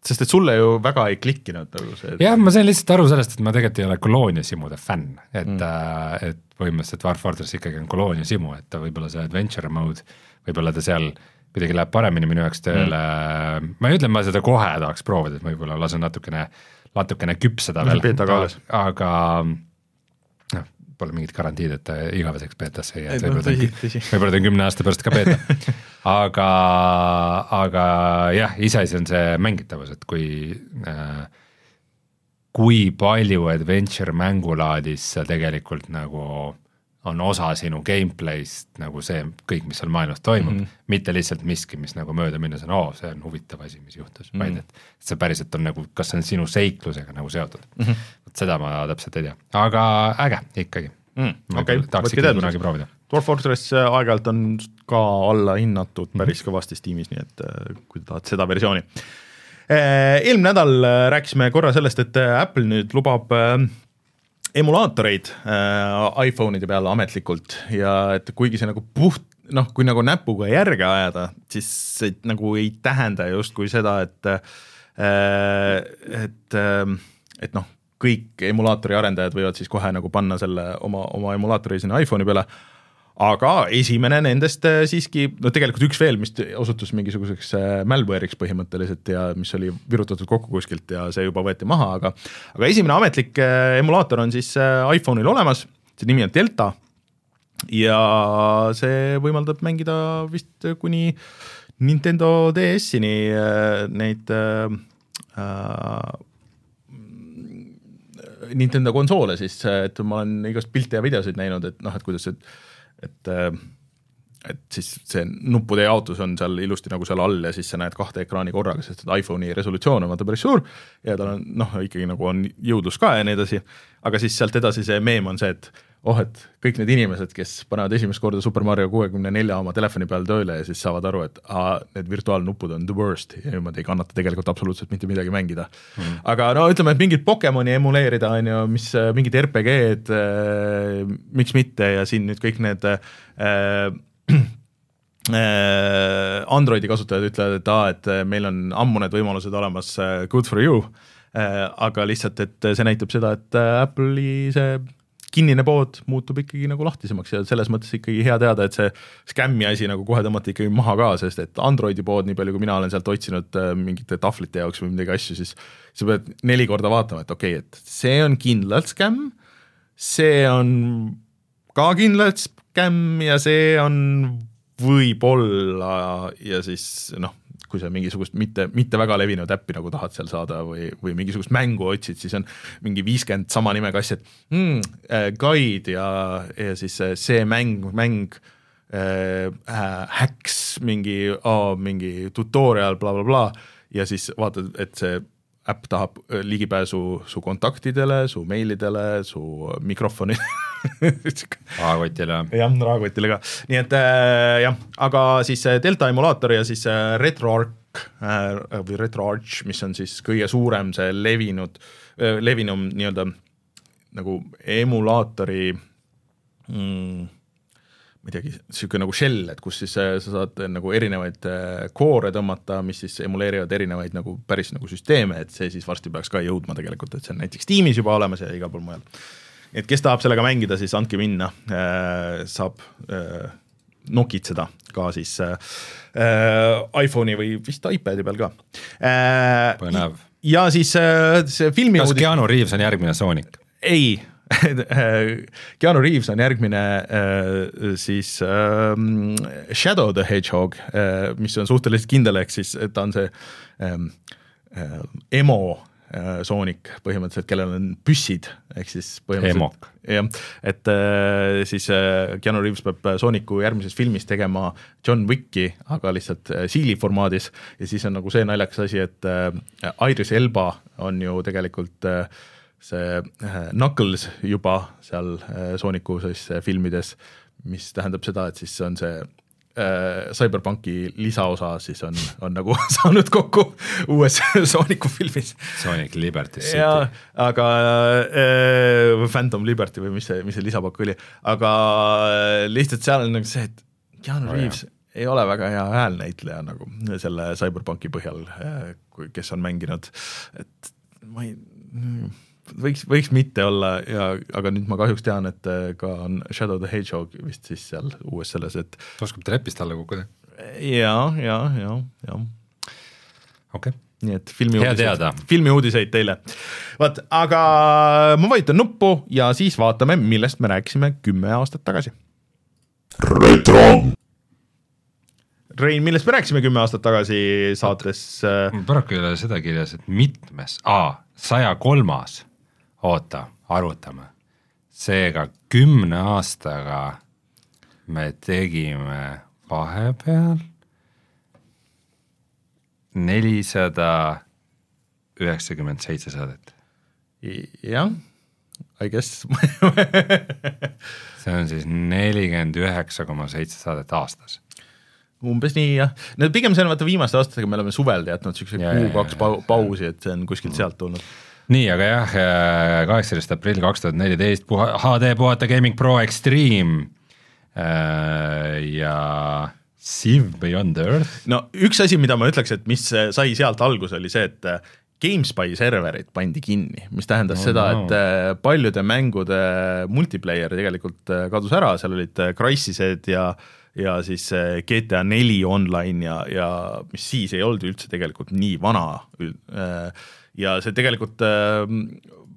Sest et sulle ju väga ei klikkinud nagu see. jah, ma sain lihtsalt aru sellest, et ma tegelikult ei ole kolooniasimude fänn, et mm., äh, et põhimõtteliselt Dwarf Fortress ikkagi on kolooniasimu, et võib-olla see adventure mode, võib-olla ta seal kuidagi läheb paremini minu jaoks tööle mm., ma ei ütle, ma seda kohe tahaks proovida, et ma võib-olla lasen natukene, natukene küpseda veel, aga noh, pole mingit garantiid, et igaveseks beetasse ei jää, võib-olla ta on, võib-olla ta on kümne aasta pärast ka beeta, aga, aga jah, iseasi on see mängitavus, et kui äh, kui palju adventure mängulaadis sa tegelikult nagu on osa sinu gameplayst nagu see kõik, mis seal maailmas toimub, mm -hmm. mitte lihtsalt miski, mis nagu mööda minnes on, oo, see on huvitav asi, mis juhtus, mm -hmm. vaid et see päriselt on nagu, kas see on sinu seiklusega nagu seotud mm. -hmm. seda ma täpselt ei tea, aga äge ikkagi mm,. Okay. tahaks ikka kunagi proovida. Dwarf Fortress aeg-ajalt on ka alla hinnatud päris mm -hmm. kõvasti Steamis, nii et kui tahad seda versiooni. Eelmine nädal rääkisime korra sellest, et Apple nüüd lubab emulaatoreid äh, iPhone'ide peale ametlikult ja et kuigi see nagu puht, noh, kui nagu näpuga järge ajada, siis see nagu ei tähenda justkui seda, et äh, et, äh, et noh, kõik emulaatori arendajad võivad siis kohe nagu panna selle oma, oma emulaatori sinna iPhone'i peale, aga esimene nendest siiski, no tegelikult üks veel, mis osutus mingisuguseks malware'iks põhimõtteliselt ja mis oli virutatud kokku kuskilt ja see juba võeti maha, aga aga esimene ametlik emulaator on siis iPhone'il olemas, see nimi on Delta ja see võimaldab mängida vist kuni Nintendo D S-ini neid äh, Nintendo konsoole siis, et ma olen igast pilte ja videosid näinud, et noh, et kuidas, et, et, et siis see nuppude jaotus on seal ilusti nagu seal all ja siis sa näed kahte ekraani korraga, sest et iPhone'i resolutsioon on vaata päris suur ja tal on noh, ikkagi nagu on jõudlus ka ja nii edasi, aga siis sealt edasi see meem on see, et oh, et kõik need inimesed, kes panevad esimest korda Super Mario kuuekümne nelja oma telefoni peal tööle ja siis saavad aru, et aa, need virtuaalnuppud on the worst ja niimoodi ei kannata tegelikult absoluutselt mitte midagi mängida. Mm. Aga no ütleme, et mingit Pokemoni emuleerida on ju, mis mingid R P G-d, äh, miks mitte ja siin nüüd kõik need äh, Androidi kasutajad ütlevad, et aa, et meil on ammu need võimalused olemas, good for you, äh, aga lihtsalt, et see näitab seda, et Apple'i see kinnine pood muutub ikkagi nagu lahtisemaks ja selles mõttes ikkagi hea teada, et see skämmi asi nagu kohe tõmmati ikkagi maha ka, sest et Androidi pood, nii palju kui mina olen sealt otsinud mingite tahvlite jaoks või midagi asju, siis sa pead neli korda vaatama, et okei, okay, et see on kindlalt skämm, see on ka kindlalt skämm ja see on võib-olla ja siis noh, kui sa mingisugust mitte, mitte väga levinud äppi nagu tahad seal saada või, või mingisugust mängu otsid, siis on mingi viiskümmend sama nimega asja, et mm, äh, guide ja, ja siis see mäng, mäng äh, hacks, mingi, oh, mingi tutorial, bla, bla, bla, ja siis vaatad, et see äpp tahab ligipääsu su kontaktidele, su meilidele, su mikrofoni rahakotile. jah, rahakotile ka. Nii et äh, jah, aga siis Delta emulaator ja siis äh, RetroArch äh, või RetroArch, mis on siis kõige suurem see levinud, äh, levinum nii-öelda nagu emulaatori mm, ma ei teagi, siuke nagu shell, et kus siis sa saad nagu erinevaid koore tõmmata, mis siis emuleerivad erinevaid nagu päris nagu süsteeme, et see siis varsti peaks ka jõudma tegelikult, et see on näiteks Steamis juba olemas ja igal pool mujal. Et kes tahab sellega mängida, siis andke minna, saab nokitseda ka siis iPhone'i või vist iPadi peal ka. Põnev. Ja siis see filmi kas Keanu Reeves on järgmine Sonic? Ei, Keanu Reeves on järgmine äh, siis äh, Shadow the Hedgehog, äh, mis on suhteliselt kindel, ehk siis ta on see äh, äh, emo äh, Sonic põhimõtteliselt, kellel on püssid, ehk siis põhimõtteliselt jah, et äh, siis äh, Keanu Reeves peab Sonicu järgmises filmis tegema John Wicki, aga lihtsalt äh, siili formaadis ja siis on nagu see naljakas asi, et äh, Idris Elba on ju tegelikult äh, see Knuckles juba seal Sooniku siis filmides, mis tähendab seda, et siis on see äh, Cyberpunki lisaosa siis on, on nagu saanud kokku uues Sooniku filmis. Sonic Liberty City. Ja, aga äh, Phantom Liberty või mis see, mis see lisapakk oli, aga lihtsalt seal on nagu see, et Keanu oh, Reeves jah. Ei ole väga hea häälnäitleja nagu selle Cyberpunki põhjal, kes on mänginud, et ma ei võiks, võiks mitte olla, ja, aga nüüd ma kahjuks tean, et ka on Shadow the Hedgehog vist siis seal uues selles, et oskab trepist alla kukkuda? Ja, ja, ja, ja. Okay. Nii et filmi uudiseid, filmi uudiseid teile. Vaat, aga ma vajutan nuppu ja siis vaatame, millest me rääkisime kümme aastat tagasi. Retro! Rein, millest me rääkisime kümme aastat tagasi saates? Paraku ei ole seda kirjas, et mitmes, aa, saja kolmas, oota, arvutame. Seega kümne aastaga me tegime vahepeal nelisada üheksakümmend seitse saadet. Jah, I guess. See on siis nelikümmend üheksa koma seitse saadet aastas. Umbes nii, jah. No, pigem see on vaata viimaste aastatega, me oleme suvel jätnud siukse kuu kaks pausi, et see on kuskilt sealt tulnud. Nii, aga jah, kaheksateist aprill kaks tuhat neliteist H D Puhata Gaming Pro Extreme ja Civ Beyond Earth. No üks asi, mida ma ütleks, et mis sai sealt algus, oli see, et GameSpy serverid pandi kinni, mis tähendas no, seda, no. et paljude mängude multiplayer tegelikult kadus ära, seal olid Crysised ja ja siis G T A neli online ja, ja mis siis ei olnud üldse tegelikult nii vana ja see tegelikult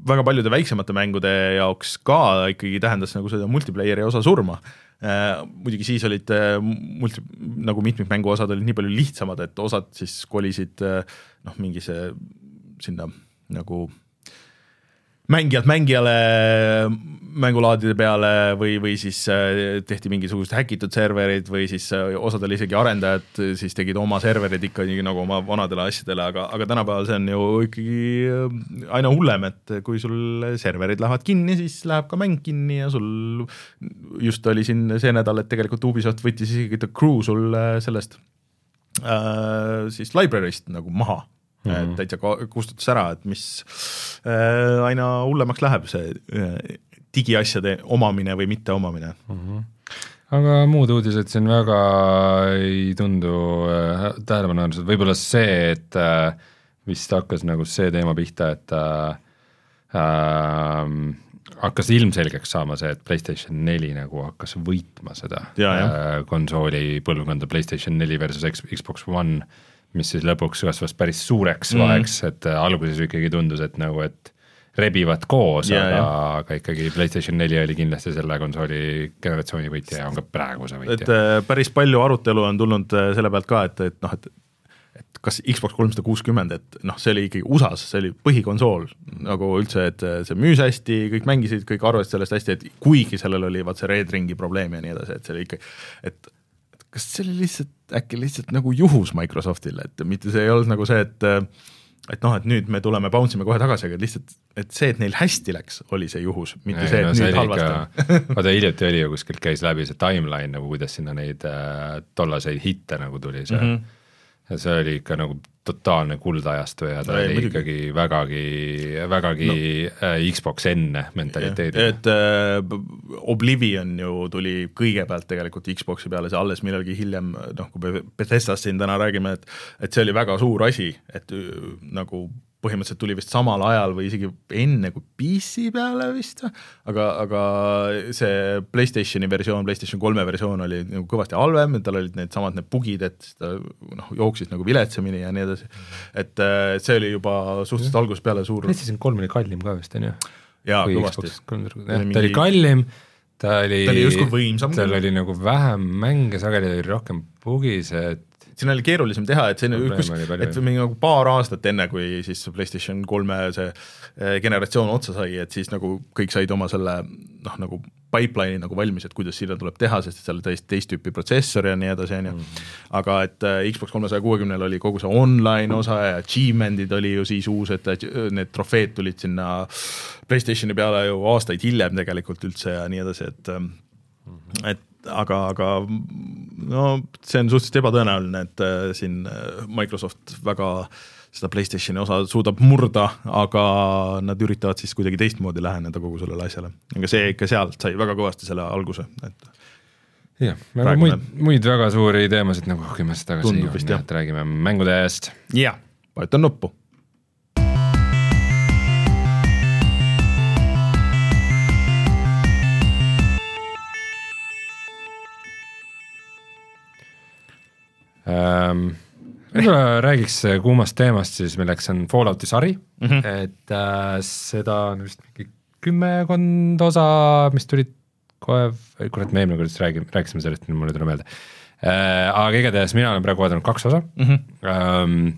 väga paljude väiksemate mängude jaoks ka ikkagi tähendas nagu seda multiplayeri osa surma. Muidugi siis olid multi, nagu mitmikmängu osad olid nii palju lihtsamad, et osad siis kolisid noh, mingi see sinna nagu mängijalt mängijale mängulaadide peale või, või siis tehti mingisugused häkitud serverid või siis osadel isegi arendajad siis tegid oma serverid ikka nii nagu oma vanadele asjadele, aga, aga tänapäeval see on ju ikkagi aina hullem, et kui sul serverid lähevad kinni, siis läheb ka mäng kinni ja sul just oli siin see nädal, et tegelikult Ubisoft võttis isegi The Crew sul sellest äh, siis library'st nagu maha. Mm-hmm. Et täitsa kustutas ära, et mis äh, aina hullemaks läheb see äh, digiasjade omamine või mitte omamine. Mm-hmm. Aga muud uudised siin väga ei tundu äh, tähelepanuväärselt, võib-olla see, et äh, vist hakkas nagu see teema pihta, et äh, äh, hakkas ilmselgeks saama see, et PlayStation neli nagu hakkas võitma seda ja, äh, konsooli põlvkonda PlayStation neli versus Xbox One, mis siis lõpuks kasvas päris suureks mm. vaheks, et alguses ikkagi tundus, et nagu, et rebivad koos, yeah, aga, yeah. aga ikkagi PlayStation neli oli kindlasti selle konsooli generatsiooni võitja ja on ka praegu see võitja. Et päris palju arutelu on tulnud selle pealt ka, et, et noh, et et kas Xbox kolmsada kuuskümmend, et noh, see oli ikkagi U S A-s, see oli põhikonsool nagu üldse, et see müüs hästi, kõik mängisid, kõik arvasid sellest hästi, et kuigi sellel oli vaat see Red Ringi probleem ja nii edasi, et see oli ikka, et kas see oli lihtsalt, äkki lihtsalt nagu juhus Microsoftile, et mitte see ei olnud nagu see, et et noh, et nüüd me tuleme, bouncime kohe tagasi, aga lihtsalt, et see, et neil hästi läks, oli see juhus, mitte ei, see, et no, nüüd halvasti. Vaata, hiljuti oli ju kuskilt käis läbi see timeline, nagu kuidas sinna neid äh, tollaseid hitte nagu tuli see mm, -hmm. ja see oli ikka nagu totaalne kuldajastu ja ta ei, oli muidugi. ikkagi vägagi, vägagi no. äh, Xbox enne mentaliteedi. Et äh, Oblivion ju tuli kõigepealt tegelikult Xboxi peale, see alles millalgi hiljem, noh, kui Bethesdast siin täna räägime, et, et see oli väga suur asi, et nagu põhimõtteliselt tuli vist samal ajal või isegi enne kui P C peale vist, aga, aga see PlayStationi versioon, PlayStation kolme versioon oli nagu kõvasti halvem, et tal olid need samad need bugid, et ta noh, jooksis nagu viletsemini ja nii edasi. Et see oli juba suhteliselt algusest peale suur. PlayStation kolm oli kallim ka vist, on ju? Jaa, kõvasti. Ta oli kallim, ta oli, ta oli justkui võimsam. Tal oli nagu vähem mänge, sageli oli rohkem bugis, et siin oli keerulisem teha, et see üks, et mingi nagu paar aastat enne, kui siis PlayStation kolme see generatsioon otsa sai, et siis nagu kõik said oma selle noh, nagu pipeline'i nagu valmis, et kuidas sinna tuleb teha, sest seal täiesti teist tüüpi protsessor ja nii edasi, on ju. Aga et Xbox kolmesaja kuuekümnel oli kogu see online osa ja achievement'id oli ju siis uus, et need trofeed tulid sinna PlayStationi peale ju aastaid hiljem tegelikult üldse ja nii edasi, et et aga, aga no see on suhteliselt ebatõenäoline, et äh, siin Microsoft väga seda PlayStationi osa suudab murda, aga nad üritavad siis kuidagi teistmoodi läheneda kogu sellele asjale. Aga see ikka sealt sai väga kõvasti selle alguse. Et jah, aga muid, muid väga suuri teemasid nagu kümnest tagasi Tundub vist, on, et räägime mängude eest. Jah, vajutan nuppu. Ähm, võib-olla räägiks kuumast teemast siis, milleks on Fallouti sari, mm -hmm. et äh, seda on vist mingi kümmekond osa, mis tulid kohe, kurat me eelmine kord räägime, rääkisime sellest, mulle tule meelde äh,, aga igatahes mina olen praegu vaadanud kaks osa mm, -hmm. ähm,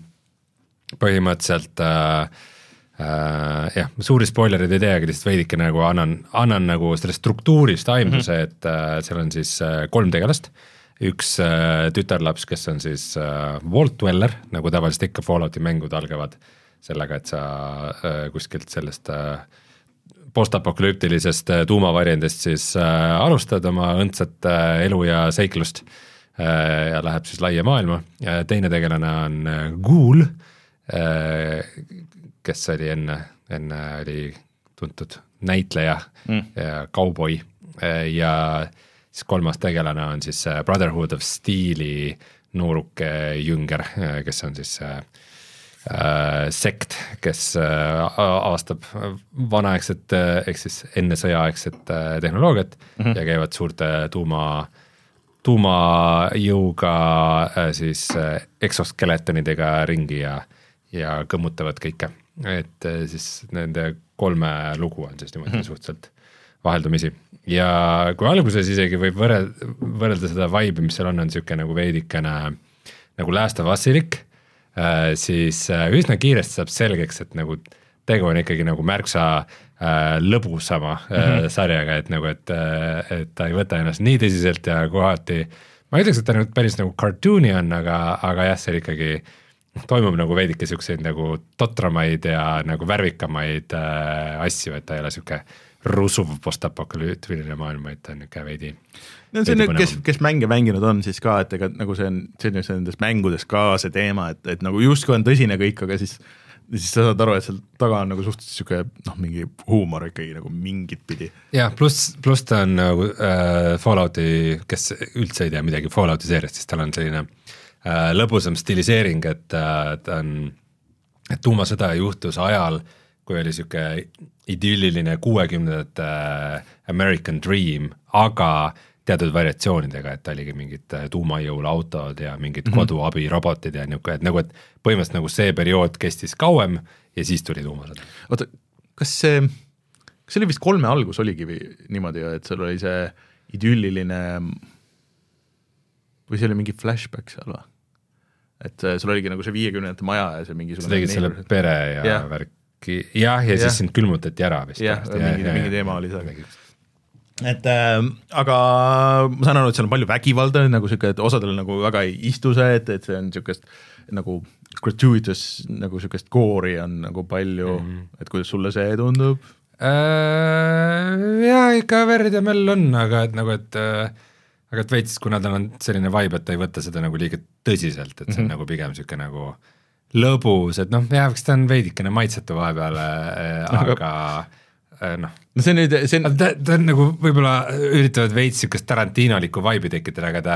põhimõtteliselt äh, äh, jah, suuri spoilerid ei tee, aga lihtsalt veidike nagu annan, annan nagu sellest struktuurist aimduse, mm -hmm. et äh, seal on siis äh, kolm tegelast, üks äh, tütarlaps, kes on siis äh, Vault Dweller, nagu tavaliselt ikka Fallouti mängud algavad sellega, et sa äh, kuskilt sellest äh, postapokalüptilisest äh, tuumavarjendist siis äh, alustad oma õndsat äh, elu ja seiklust äh, ja läheb siis laia maailma. Ja teine tegelane on äh, Ghoul, äh, kes oli enne, enne oli tuntud näitleja mm. ja kauboi äh, ja siis kolmas tegelane on siis Brotherhood of Steel'i nooruke jünger, kes on siis äh, sekt, kes äh, avastab vanaaegset, ehk siis enne sõjaaegset äh, tehnoloogiat mm -hmm. ja käivad suurte tuuma, tuumajõuga äh, siis äh, exoskeletonidega ringi ja, ja kõmmutavad kõike. Et äh, siis nende kolme lugu on siis niimoodi mm-hmm. suhteliselt vaheldumisi ja kui alguses isegi võib võrrelda, võrrelda seda vibe'i, mis seal on, on niisugune nagu veidikene nagu Last of Usilik, siis üsna kiiresti saab selgeks, et nagu tegu on ikkagi nagu märksa äh, lõbusama mm-hmm. äh, sarjaga, et nagu, et, et ta ei võta ennast nii tõsiselt ja kohati, ma ei ütleks, et ta nüüd päris nagu cartooni on, aga, aga jah, see ikkagi toimub nagu veidike siukseid nagu totramaid ja nagu värvikamaid äh, asju, et ta ei ole siuke rusuv postapokalüütiline maailm, et ta on niuke veidi. No see on, kes, kes mänge mänginud on siis ka, et ega nagu see on, see on nendes mängudes ka see teema, et, et nagu justkui on tõsine kõik, aga siis, siis sa saad aru, et seal taga on nagu suhteliselt siuke noh, mingi huumor ikkagi nagu mingit pidi. jah, pluss, pluss ta on nagu äh, Fallouti, kes üldse ei tea midagi Fallouti seeriast, siis tal on selline äh, lõbusam stiliseering, et äh, ta on, et tuumasõda juhtus ajal, kui oli siuke idülliline kuuekümnendate American Dream, aga teatud variatsioonidega, et ta oligi mingid tuumajõul autod ja mingid mm-hmm. koduabirobotid ja niuke, et nagu, et põhimõtteliselt nagu see periood kestis kauem ja siis tuli tuumasõda. Oota, kas see, kas see oli vist kolme algus oligi või niimoodi, et seal oli see idülliline või see oli mingi flashback seal või? Et sul oligi nagu see viiekümnendate maja ja see mingi sa tegid selle pere ja yeah. värk jah, ja siis ja. sind külmutati ära vist. jah, mingi, ja, mingi teema oli seal. Et äh, aga ma saan aru, et seal on palju vägivalda, nagu siuke, et osadel nagu väga ei istu see, et, et see on siukest nagu gratuitous nagu siukest koori on nagu palju, mm-hmm. et kuidas sulle see tundub? Äh, jah, ikka verd ja mell on, aga et nagu, et äh, aga et veits, kuna tal on selline vibe, et ta ei võta seda nagu liiga tõsiselt, et see on mm-hmm. nagu pigem siuke nagu lõbus, et noh, jah, ta on veidikene maitsetu vahepeal, aga noh. No see nüüd, see on... Ta, ta on nagu võib-olla üritavad veits siukest Tarantinolikku vibe'i tekitada, aga ta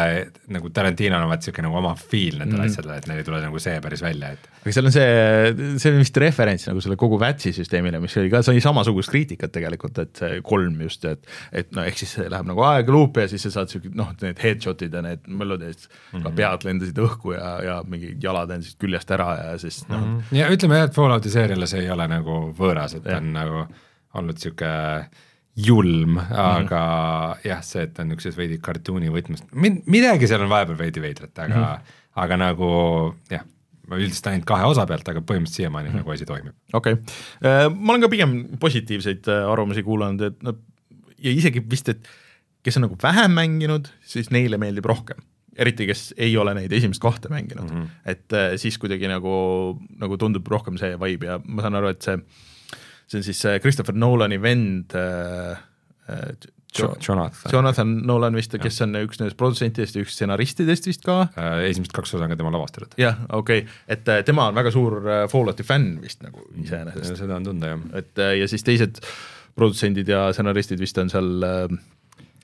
nagu Tarantino on vaat siuke nagu oma feel nendele mm-hmm. asjadele, et neil ei tule nagu see päris välja, et aga seal on see, see on vist referents nagu selle kogu Vatsi süsteemile, mis oli ka, sai samasugust kriitikat tegelikult, et see kolm just, et, et no ehk siis see läheb nagu aega luupi ja siis sa saad siuke, noh, need headshotid ja need melodid, mm-hmm. ka pead lendasid õhku ja, ja mingi jalad endiselt küljest ära ja siis noh mm-hmm. ja ütleme jah, et Fallouti seeriale see ei ole nagu võõras, et ja. on nagu olnud siuke julm, aga mm-hmm. jah, see, et on niisuguses veidi kartuuni võtmest, midagi seal on vahepeal veidi veidrat, aga mm-hmm. aga nagu jah, ma üldiselt ainult kahe osa pealt, aga põhimõtteliselt siiamaani mm-hmm. nagu asi toimib. Okei okay., ma olen ka pigem positiivseid arvamusi kuulanud, et no, ja isegi vist, et kes on nagu vähem mänginud, siis neile meeldib rohkem. Eriti, kes ei ole neid esimest kahte mänginud. Mm-hmm. Et siis kuidagi nagu, nagu tundub rohkem see vibe ja ma saan aru, et see see on siis Christopher Nolani vend äh, jo- Jonathan. Jonathan Nolan vist, kes on üks nendest produtsentidest ja üks stsenaristidest vist ka. Äh, esimest kaks osa on ka tema lavastatud. jah, okei, okay. et tema on väga suur Fallouti fänn vist nagu iseenesest. Seda on tunda, jah. Et, ja siis teised produtsendid ja stsenaristid vist on seal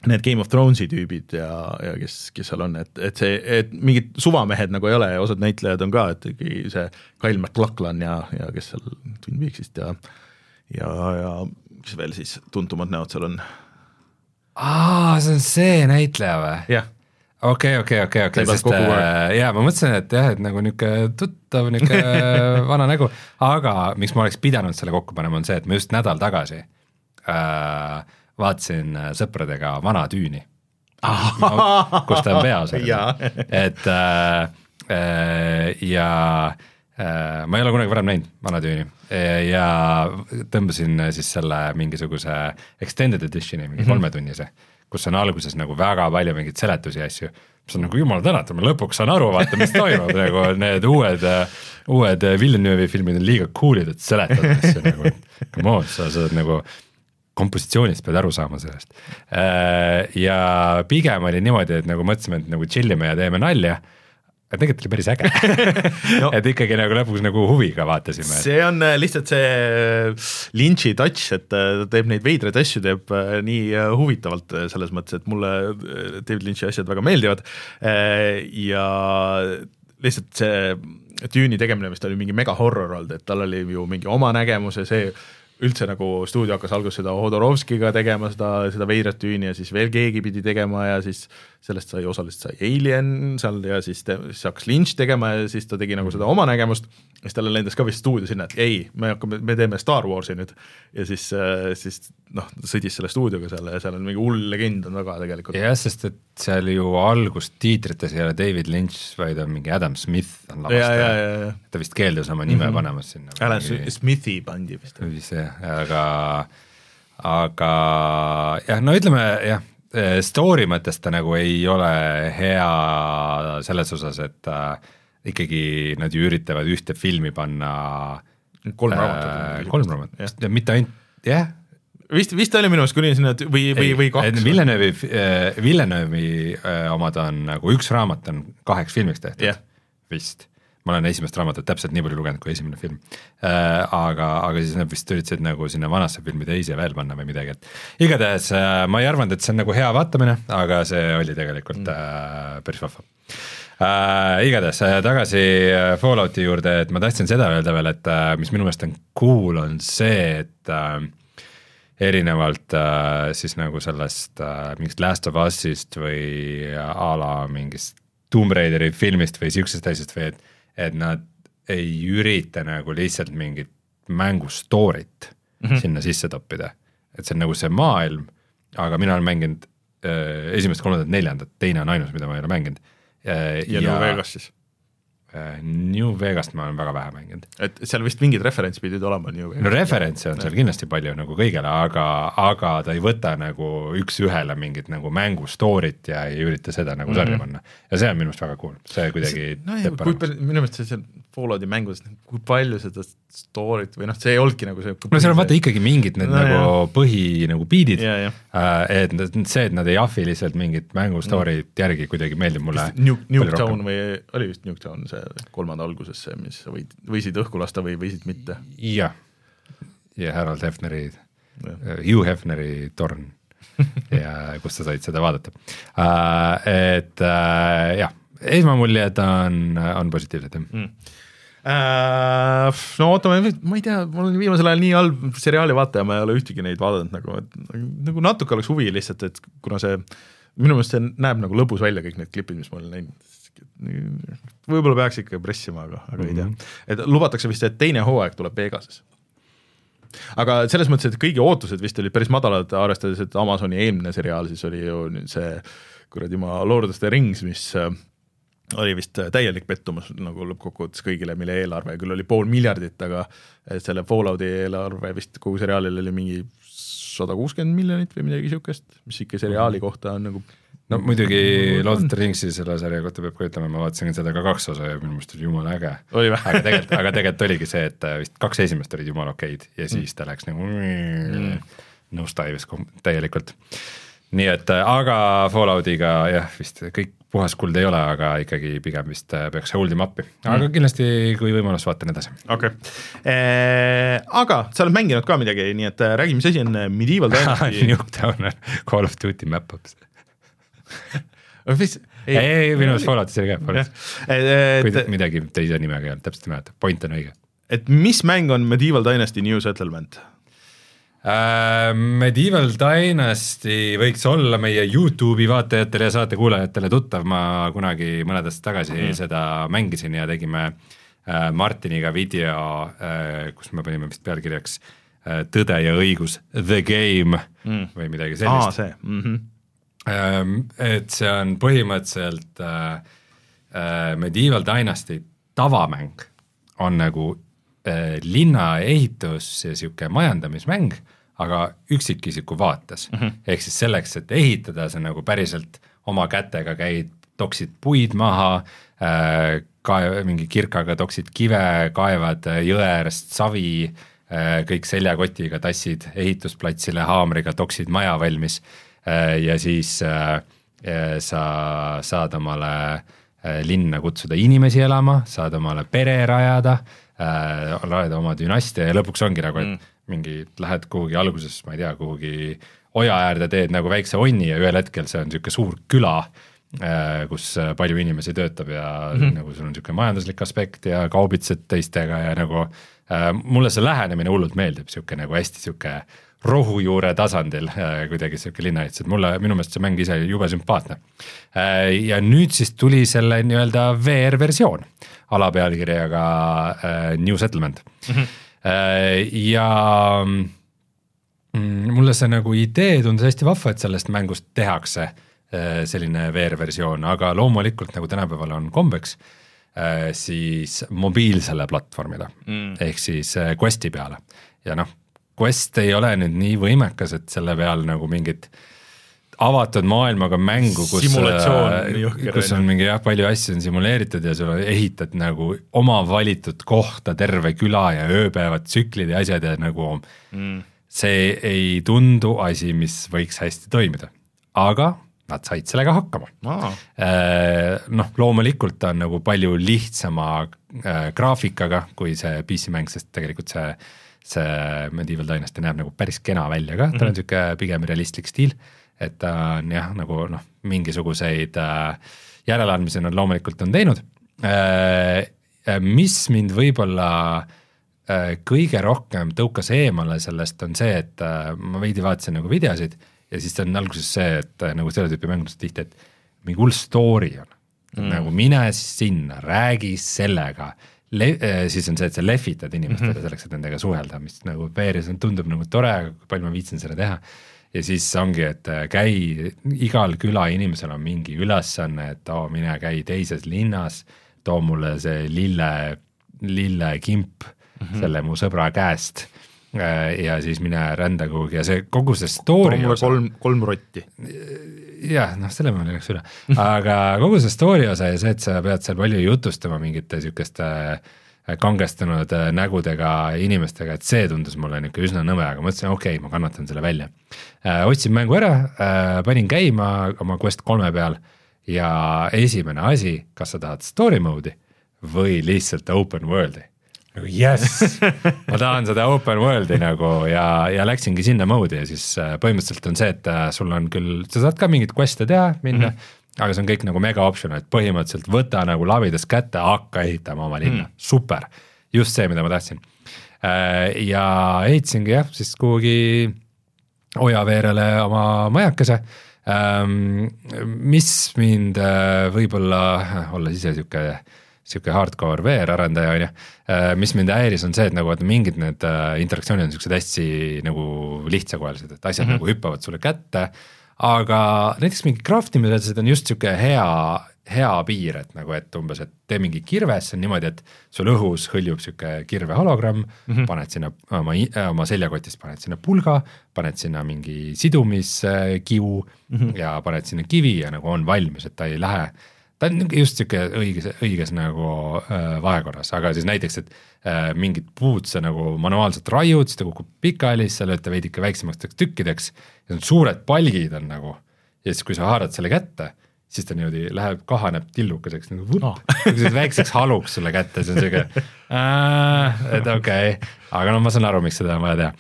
need Game of Thronesi tüübid ja, ja kes, kes seal on, et, et see, et mingid suvamehed nagu ei ole ja osad näitlejad on ka, et see Kyle MacLachlan ja, ja kes seal Twin Peaksist ja ja, ja mis veel siis tuntumad näod seal on? Aa, see on see näitleja või? jah. okei, okei, okei, okei, sest äh, jaa, ma mõtlesin, et jah, et nagu niisugune tuttav, niisugune vana nägu, aga miks ma oleks pidanud selle kokku panema, on see, et ma just nädal tagasi äh, vaatasin sõpradega Vana Tüüni, kus ta on peas. et äh, äh, ja äh, ma ei ole kunagi varem näinud Vana Tüüni ja tõmbasin siis selle mingisuguse extended editioni, mingi mm-hmm. kolmetunnise, kus on alguses nagu väga palju mingeid seletusi ja asju, mis on nagu jumala tänatud, ma lõpuks saan aru, vaata, mis toimub, nagu need uued, uued Villeneuve'i filmid on liiga coolid, et seletad asju nagu, come on, sa saad nagu kompositsioonist pead aru saama sellest. Ja pigem oli niimoodi, et nagu mõtlesime, et nagu chillime ja teeme nalja, et tegelikult oli päris äge. no, et ikkagi nagu lõpuks nagu huviga vaatasime. See on lihtsalt see Lynch'i touch, et ta teeb neid veidraid asju, teeb nii huvitavalt selles mõttes, et mulle David Lynch'i asjad väga meeldivad ja lihtsalt see Tüüni tegemine, mis ta oli mingi mega horror olnud, et tal oli ju mingi oma nägemus ja see üldse nagu stuudio hakkas alguses seda Hodorovskiga tegema, seda, seda veidrat Tüüni ja siis veel keegi pidi tegema ja siis sellest sai osaliselt sai Alien seal ja siis, te, siis hakkas Lynch tegema ja siis ta tegi nagu seda oma nägemust, siis talle lendas ka vist stuudio sinna, et ei, me hakkame, me teeme Star Warsi nüüd ja siis, siis noh, sõdis selle stuudioga seal ja seal on mingi hull legend on taga tegelikult. jah, sest et seal ju algust tiitrites ei ole David Lynch, vaid on mingi Adam Smith on lavastaja, ta vist keeldus oma nime mm-hmm. panemas sinna. Alan mingi... Smithi pandi vist. vist jah, aga aga jah, no ütleme jah, story mõttes ta nagu ei ole hea selles osas, et äh, ikkagi nad ju üritavad ühte filmi panna kolm raamatut äh,. kolm raamatut, mitte ainult, jah. Vist, vist oli minu meelest kuni sinna või, või, või kaks. Villeneuve'i äh, Villeneuve'i äh, omad on nagu üks raamat on kaheks filmiks tehtud yeah. vist. Ma olen esimest raamatut täpselt nii palju lugenud kui esimene film äh,. Aga, aga siis nad vist üritasid nagu sinna vanasse filmi teisi veel panna või midagi, et igatahes äh, ma ei arvanud, et see on nagu hea vaatamine, aga see oli tegelikult mm. äh, päris vahva. Uh, igatahes uh, tagasi uh, Fallouti juurde, et ma tahtsin seda öelda veel, et uh, mis minu meelest on cool, on see, et uh, erinevalt uh, siis nagu sellest uh, mingist Last of Us'ist või a la mingist Tomb Raideri filmist või siuksest asjast või et, et nad ei ürita nagu lihtsalt mingit mängu story't mm-hmm. sinna sisse toppida, et see on nagu see maailm, aga mina olen mänginud uh, esimest, kolmandat, neljandat, teine on ainus, mida ma ei ole mänginud. ja, ja New Vegas siis? New Vegast ma olen väga vähe mänginud. Et seal vist mingid referents pidid olema New Vegas. No referentse on seal kindlasti palju nagu kõigele, aga, aga ta ei võta nagu üks ühele mingit nagu mängu story't ja ei ürita seda nagu sarja mm-hmm. panna. Ja see on minu meelest väga cool. See kuidagi no, teeb paremaks. Minu meelest see Fallouti mängus, kui palju seda story't või noh, see ei olnudki nagu see no seal on vaata ikkagi mingid need no, nagu jah. põhi nagu beatid, ja, ja. et see, et nad ei ahvi lihtsalt mingit mängu story't mm. järgi kuidagi meeldib mulle New, Nuketown või oli vist Nuketown see kolmanda alguses see, mis võid, võisid õhku lasta või võisid mitte. Jah, ja Harold Hefneri uh, Hugh Hefneri torn ja kus sa said seda vaadata uh, et uh, jah, esmamuljed on, on positiivsed mm. Uh, no ootame, ma ei tea, mul on viimasel ajal nii halb seriaali vaataja, ma ei ole ühtegi neid vaadanud nagu, et, nagu natuke oleks huvi lihtsalt, et kuna see, minu meelest see näeb nagu lõbus välja kõik need klipid, mis ma olen näinud, võib-olla peaks ikka pressima, aga, aga mm-hmm. ei tea, et lubatakse vist, et teine hooaeg tuleb Vegases. Aga selles mõttes, et kõigi ootused vist olid päris madalad, arvestades, et Amazoni eelmine seriaal siis oli ju see kuradi ma Lord of the Rings, mis oli vist täielik pettumus nagu lõppkokkuvõttes kõigile, mille eelarve küll oli pool miljardit, aga selle Fallouti eelarve vist kogu seriaalil oli mingi sada kuuskümmend miljonit või midagi siukest, mis ikka seriaali kohta on nagu no muidugi Lord of the Ringsi selle sarja kohta peab ka ütlema, ma vaatasin seda ka kaks osa ja minu meelest oli jumala äge. aga tegelikult, aga tegelikult oligi see, et vist kaks esimest olid jumala okeid ja siis ta läks nagu mm. nõustaivis täielikult. Nii et, aga Falloutiga jah, vist kõik puhas kuld ei ole, aga ikkagi pigem vist peaks holdima appi. Aga mm. kindlasti, kui võimalus, vaatan edasi. Okay. Eee, aga sa oled mänginud ka midagi, nii et räägi, mis asi on Medieval Dynasty? Nuketown on Call of Duty map-ups. ei, ei, ei, minu meelest Falloutis oli ka. Kui midagi teise nimega ei olnud, täpselt ei mäleta. Point on õige. Et mis mäng on Medieval Dynasty New Settlement? Uh, Medieval Dynasty võiks olla meie YouTube'i vaatajatele ja saate kuulajatele tuttav, ma kunagi mõnedest tagasi mm. seda mängisin ja tegime uh, Martiniga video, uh, kus me panime vist pealkirjaks uh, Tõde ja õigus, The Game mm. või midagi sellist. Aa, see. Mm-hmm. Uh, et see on põhimõtteliselt uh, uh, Medieval Dynasty tavamäng on nagu uh, linna ehitus ja siuke majandamismäng, aga üksikisiku vaates. Mm-hmm. Ehk siis selleks, et ehitada, see nagu päriselt oma kätega käid, toksid puid maha, äh, kaev, mingi kirkaga toksid kive, kaevad jõe äärest savi, äh, kõik seljakotiga tassid ehitusplatsile haamriga, toksid maja valmis äh, ja siis äh, sa saad omale äh, linna kutsuda inimesi elama, saad omale pere rajada, äh, rajada oma dünastia ja lõpuks ongi nagu, et mm. mingi lähed kuhugi alguses, ma ei tea, kuhugi oja äärde teed nagu väikse onni ja ühel hetkel see on niisugune suur küla, kus palju inimesi töötab ja mm-hmm. nagu sul on niisugune majanduslik aspekt ja kaubitsed teistega ja nagu äh, mulle see lähenemine hullult meeldib, niisugune nagu hästi niisugune rohujuure tasandil kuidagi siuke linnaehitus, et mulle, minu meelest see mäng ise jube sümpaatne. Ja nüüd siis tuli selle nii-öelda V R versioon alapealkirjaga New Settlement. Mm-hmm. Ja mulle see nagu idee tundus hästi vahva, et sellest mängust tehakse selline V R versioon, aga loomulikult nagu tänapäeval on kombeks, siis mobiilsele platvormile mm. ehk siis Questi peale ja noh, Quest ei ole nüüd nii võimekas, et selle peal nagu mingit avatud maailmaga mängu, kus, kus on mingi jah, palju asju on simuleeritud ja sul ehitad nagu oma valitud kohta terve küla ja ööpäevad tsüklid ja asjad ja nagu mm. see ei tundu asi, mis võiks hästi toimida, aga nad said sellega hakkama. Aa. Noh, loomulikult on nagu palju lihtsama graafikaga kui see P C mäng, sest tegelikult see, see Medieval Dynasty näeb nagu päris kena välja ka, ta on siuke pigem realistlik stiil, et ta on jah, nagu noh, mingisuguseid järeleandmisi nad loomulikult on teinud. Mis mind võib-olla kõige rohkem tõukas eemale sellest on see, et ma veidi vaatasin nagu videosid ja siis on alguses see, et nagu selle tüüpi mängudest tihti, et mingi hull story on. Mm. Nagu mine sinna, räägi sellega, Le siis on see, et sa lehvitad inimestele mm -hmm. selleks, et nendega suhelda, mis nagu peeris tundub nagu tore, kui palju ma viitsin seda teha. Ja siis ongi, et käi, igal küla inimesel on mingi ülesanne, et too mine käi teises linnas, too mulle see lille, lille kimp mm -hmm. selle mu sõbra käest ja siis mine rända kuhugi ja see kogu see story osa, kolm, kolm rotti jah, noh selle ma läks üle aga kogu see story osa ja see, et sa pead seal palju jutustama mingite sükeste kangestunud nägudega inimestega, et see tundus mulle niuke üsna nõme, aga mõtlesin, okei okay,, ma kannatan selle välja otsin mängu ära, panin käima oma Quest kolme peal ja esimene asi, kas sa tahad story mode'i või lihtsalt open world'i yes, ma tahan seda open world'i nagu ja, ja läksingi sinna mode'i ja siis põhimõtteliselt on see, et sul on küll, sa saad ka mingit quest'e teha, minna, mm -hmm. aga see on kõik nagu mega option, et põhimõtteliselt võta nagu labidas kätte, hakka ehitama oma linna, mm. super, just see, mida ma tahtsin. Ja ehitasingi jah, siis kuhugi Ojaveerele oma majakese, mis mind võib-olla, olla ise siuke siuke hardcore V R-arendaja on ju, mis mind häiris on see, et nagu mingid need interaktsioonid on siuksed hästi nagu lihtsakoelised, et asjad mm -hmm. nagu hüppavad sulle kätte, aga näiteks mingi craftimised on just siuke hea, hea piir, et nagu, et umbes, et tee mingi kirves, see on niimoodi, et sul õhus hõljub siuke kirve hologramm, mm -hmm. paned sinna oma, oma seljakotist, paned sinna pulga, paned sinna mingi sidumiskivu mm -hmm. ja paned sinna kivi ja nagu on valmis, et ta ei lähe ta on just siuke õiges, õiges nagu äh, vahekorras, aga siis näiteks, et äh, mingid puud sa nagu manuaalselt raiud, siis ta kukub pikali, siis sa lööd ta veidike väiksemaks tükkideks ja need suured palgid on nagu ja siis kui sa haarad selle kätte, siis ta niimoodi läheb, kahaneb tillukeseks nagu vup, oh. väikseks haluks sulle kätte, see on siuke äh, et okei okay., aga no ma saan aru, miks seda on vaja teha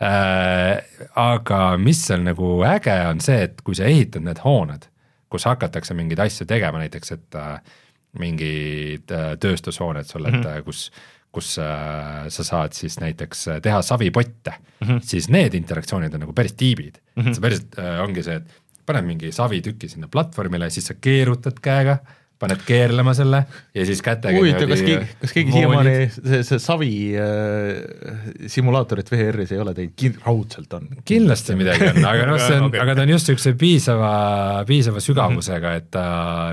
äh, aga mis seal nagu äge on see, et kui sa ehitad need hooned, kus hakatakse mingeid asju tegema, näiteks, et äh, mingid äh, tööstushooned sulle, et äh, kus, kus äh, sa saad siis näiteks teha savipotte, mm -hmm. siis need interaktsioonid on nagu päris tiibid. Mm -hmm. see päris äh, ongi see, et paned mingi savitüki sinna platvormile, siis sa keerutad käega, paned keerlema selle ja siis kätega huvitav, kas, keegi, kas keegi siiamaani see, see savi äh, simulaatorit V R-is ei ole teid, raudselt on? Kindlasti midagi on, aga noh, see on, okay. aga ta on just üks piisava, piisava sügavusega, et ta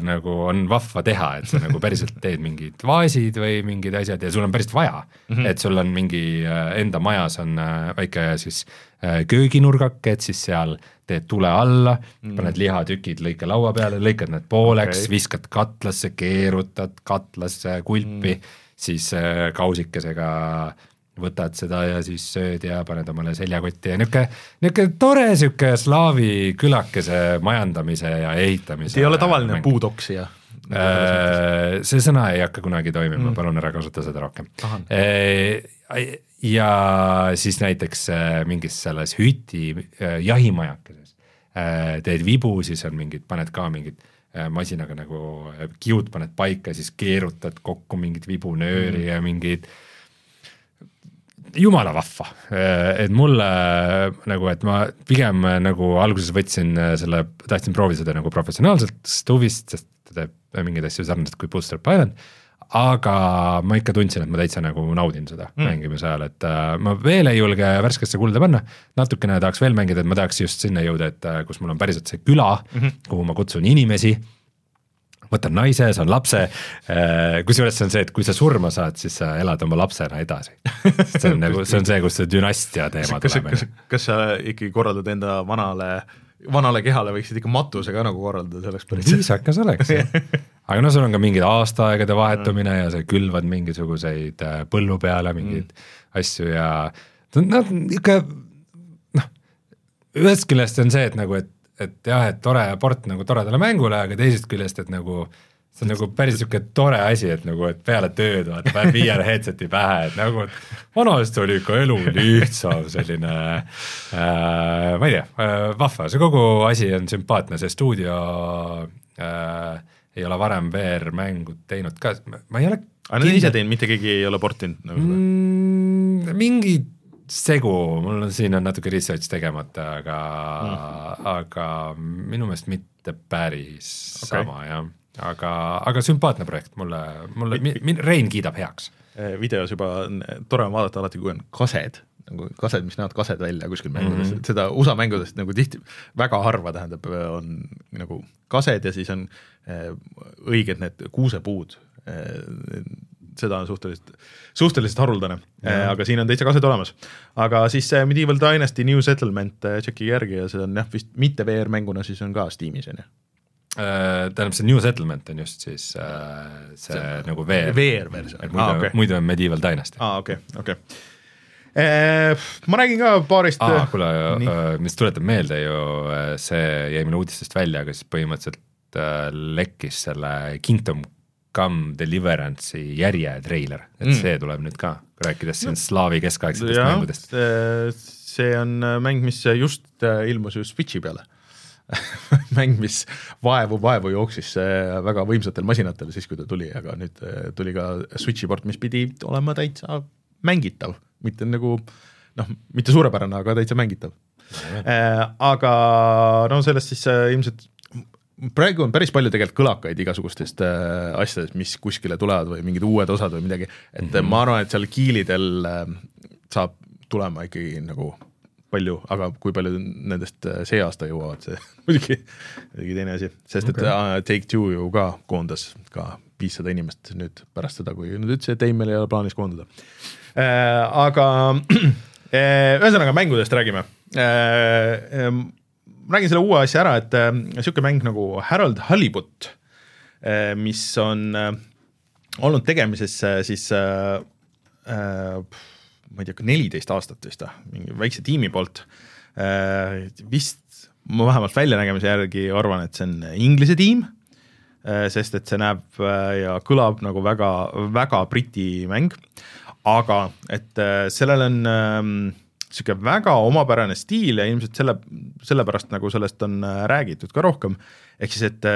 nagu on vahva teha, et sa nagu päriselt teed mingid vaasid või mingid asjad ja sul on päriselt vaja, mm -hmm. et sul on mingi enda majas on väike siis kööginurgake, et siis seal teed tule alla, mm. paned lihatükid, lõika laua peale, lõikad need pooleks, okay. viskad katlasse, keerutad katlasse kulpi, mm. siis kausikesega võtad seda ja siis sööd ja paned omale seljakotti ja niuke, niuke tore siuke slaavi külakese majandamise ja ehitamise. ei ole tavaline mäng. Puudoksija? See sõna ei hakka kunagi toimima, mm. palun ära kasuta seda rohkem. Ja siis näiteks mingis selles hüti jahimajakeses teed vibu, siis on mingid, paned ka mingid masinaga nagu kiud paned paika, siis keerutad kokku mingid vibunööri mm. ja mingid jumala vahva, et mulle nagu, et ma pigem nagu alguses võtsin selle, tahtsin proovida seda nagu professionaalselt huvist, sest ta teeb mingeid asju sarnaselt kui Bootstrap Island, aga ma ikka tundsin, et ma täitsa nagu naudin seda mm. mängimise ajal, et uh, ma veel ei julge värskesse kulda panna, natukene tahaks veel mängida, et ma tahaks just sinna jõuda, et uh, kus mul on päriselt see küla, mm-hmm. kuhu ma kutsun inimesi, võtan naise, saan lapse, uh, kusjuures see on see, et kui sa surma saad, siis sa elad oma lapsena edasi. See on, nagu, see on see, kus see dünastia teema kas, tuleb. Kas, kas sa ikkagi korraldad enda vanale vanale kehale võiksid ikka matuse ka nagu korraldada, see oleks päris viisakas oleks. Aga no sul on ka mingid aastaaegade vahetumine ja sa külvad mingisuguseid põllu peale mingeid mm. asju ja noh, ikka noh, ühest küljest on see, et nagu, et, et jah, et tore port nagu toredale mängule, aga teisest küljest, et nagu see on nagu päris niisugune tore asi, et nagu, et peale tööd vaata, päev viiele headseti pähe, et nagu vanasti oli ikka elu lihtsam selline äh, ma ei tea, äh, vahva, see kogu asi on sümpaatne, see stuudio äh, ei ole varem V R-mängu teinud ka, ma ei ole aga need ise teinud, mitte keegi ei ole portinud nagu mm, mingi segu, mul on siin on natuke research tegemata, aga mm. aga minu meelest mitte päris okay. sama, jah aga, aga sümpaatne projekt, mulle, mulle min, Rein kiidab heaks. Videos juba tore on vaadata alati, kui on kased, nagu kased, mis näevad kased välja kuskil mängudest, mm-hmm. seda U S A mängudest nagu tihti väga harva tähendab, on nagu kased ja siis on õiged need kuusepuud, seda on suhteliselt, suhteliselt haruldane, mm-hmm. aga siin on täitsa kased olemas. Aga siis Medieval Dynasty New Settlement tšeki järgi ja see on jah, vist mitte V R-mänguna, siis on ka Steamis, on jah. Tähendab, see New Settlement on just siis äh, see, see nagu V R, V R-versioon. Muidu, ah, okay. muidu on Medieval Dynasty. Aa, okei, okay, okei. Okay. Eh, ma räägin ka paarist... Aa, kuule, mis tuletab meelde ju, see jäi meil uudistest välja, aga siis põhimõtteliselt äh, lekkis selle Kingdom Come Deliverance'i järje treiler, et mm. see tuleb nüüd ka, rääkides siin no. slaavi keskaegsetest ja, mängudest. See on mäng, mis just ilmus ju Switchi peale. mäng, mis vaevu, vaevu jooksis väga võimsatel masinatel siis, kui ta tuli, aga nüüd tuli ka Switchi port, mis pidi olema täitsa mängitav, mitte nagu, noh, mitte suurepärane, aga täitsa mängitav. Aga no sellest siis ilmselt, praegu on päris palju tegelikult kõlakaid igasugustest asjadest, mis kuskile tulevad või mingid uued osad või midagi, et mm-hmm. ma arvan, et seal kiilidel saab tulema ikkagi nagu palju, aga kui palju nendest see aasta jõuavad, see muidugi, muidugi teine asi, sest okay. et uh, Take-Two ju ka koondas ka viissada inimest nüüd pärast seda, kui nüüd ütles, et ei, meil ei ole plaanis koondada. Äh, aga äh, ühesõnaga mängudest räägime. Äh, äh, räägin selle uue asja ära, et äh, siuke mäng nagu Harold Halibut, äh, mis on äh, olnud tegemises äh, siis äh, äh, ma ei tea, neliteist aastat vist, mingi väikse tiimi poolt, vist ma vähemalt väljanägemise järgi arvan, et see on inglise tiim, sest et see näeb ja kõlab nagu väga, väga briti mäng, aga et sellel on siuke väga omapärane stiil ja ilmselt selle, sellepärast nagu sellest on räägitud ka rohkem, ehk siis, et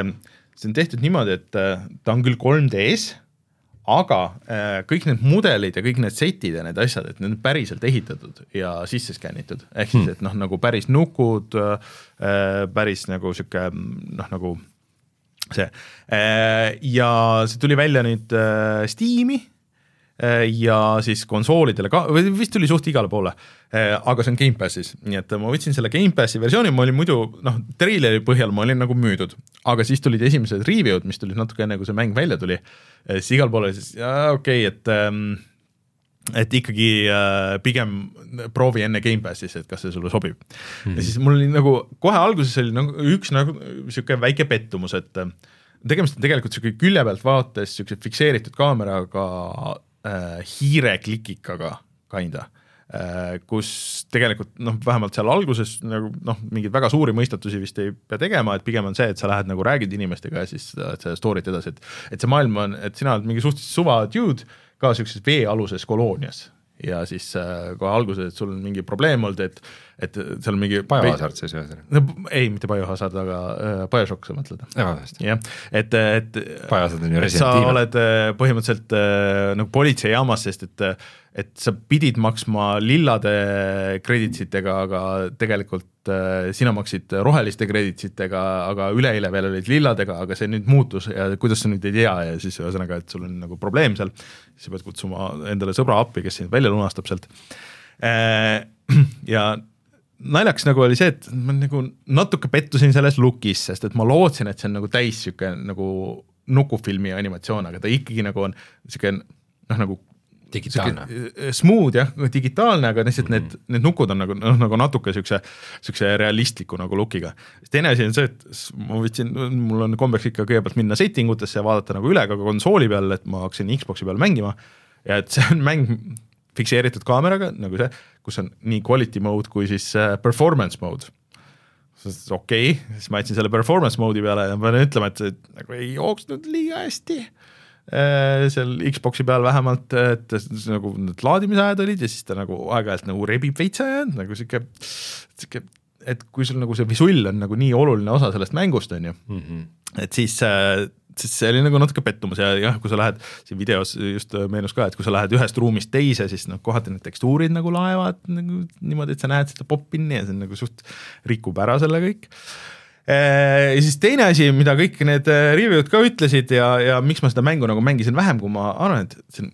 see on tehtud niimoodi, et ta on küll kolm D-s, aga äh, kõik need mudelid ja kõik need setid ja need asjad, et need on päriselt ehitatud ja sisse skännitud, ehk siis, et noh, nagu päris nukud, äh, päris nagu siuke, noh, nagu see äh, ja see tuli välja nüüd äh, Steam'i äh, ja siis konsoolidele ka, või vist tuli suht igale poole, äh, aga see on Game Passis, nii et ma võtsin selle Game Passi versiooni, ma olin muidu, noh, treileri põhjal ma olin nagu müüdud, aga siis tulid esimesed review'd, mis tulid natuke enne, kui see mäng välja tuli, siis igal poole siis, okei, okay, et, et ikkagi äh, pigem proovi enne Game Passis, et kas see sulle sobib. Mm-hmm. Ja siis mul oli nagu, kohe alguses oli nagu üks nagu siuke väike pettumus, et tegemist on tegelikult siuke külje pealt vaates siuke fikseeritud kaameraga äh, hiireklikikaga kinda, äh, kus tegelikult noh, vähemalt seal alguses nagu, noh, mingeid väga suuri mõistatusi vist ei pea tegema, et pigem on see, et sa lähed nagu räägid inimestega ja siis et sa story't edasi, et, et see maailm on, et sina oled mingi suhteliselt suva dude ka siukses veealuses koloonias ja siis äh, kohe alguses, et sul on mingi probleem olnud, et, et seal on mingi Biohazard siis ühesõnaga? No, ei, mitte Biohazard, aga äh, Bioshock sa mõtled. jah, et, et Biohazard on ju Resident Evil. Sa oled äh, põhimõtteliselt äh, nagu politseijaamas, sest et äh, et sa pidid maksma lillade krediitsitega, aga tegelikult sina maksid roheliste krediitsitega, aga üleeile veel olid lilladega, aga see nüüd muutus ja kuidas sa nüüd ei tea ja siis ühesõnaga, et sul on nagu probleem seal, siis sa pead kutsuma endale sõbra appi, kes sind välja lunastab sealt. Ja naljaks nagu oli see, et ma nagu natuke pettusin selles lookis, sest et ma lootsin, et see on nagu täis siuke nagu nukufilmi animatsioon, aga ta ikkagi nagu on siuke noh nagu digitaalne. Smooth jah, digitaalne, aga lihtsalt mm -hmm. need, need nukud on nagu, noh, nagu natuke siukse, siukse realistliku nagu lookiga. Teine asi on see, et ma võtsin, mul on kombeks ikka kõigepealt minna setting utesse ja vaadata nagu üle ka konsooli peal, et ma hakkasin Xboxi peal mängima ja et see on mäng fikseeritud kaameraga, nagu see, kus on nii quality mode kui siis performance mode. Okei, okay. Siis ma jätsin selle performance mode'i peale ja ma pean ütlema, et see nagu ei jooksnud liiga hästi. Seal Xboxi peal vähemalt, et nagu need laadimisajad olid ja siis ta nagu aeg-ajalt nagu rebib veitsa ja nagu siuke, siuke, et kui sul nagu see visull on nagu nii oluline osa sellest mängust, on ju, mm -hmm. et siis, siis see oli nagu natuke pettumus ja jah, kui sa lähed, siin videos just meenus ka, et kui sa lähed ühest ruumist teise, siis noh, kohati need tekstuurid nagu laevad nagu niimoodi, et sa näed seda pop-inni ja see on nagu suht rikub ära selle kõik. Ja siis teine asi, mida kõik need review'd ka ütlesid ja, ja miks ma seda mängu nagu mängisin vähem, kui ma arvan, et see on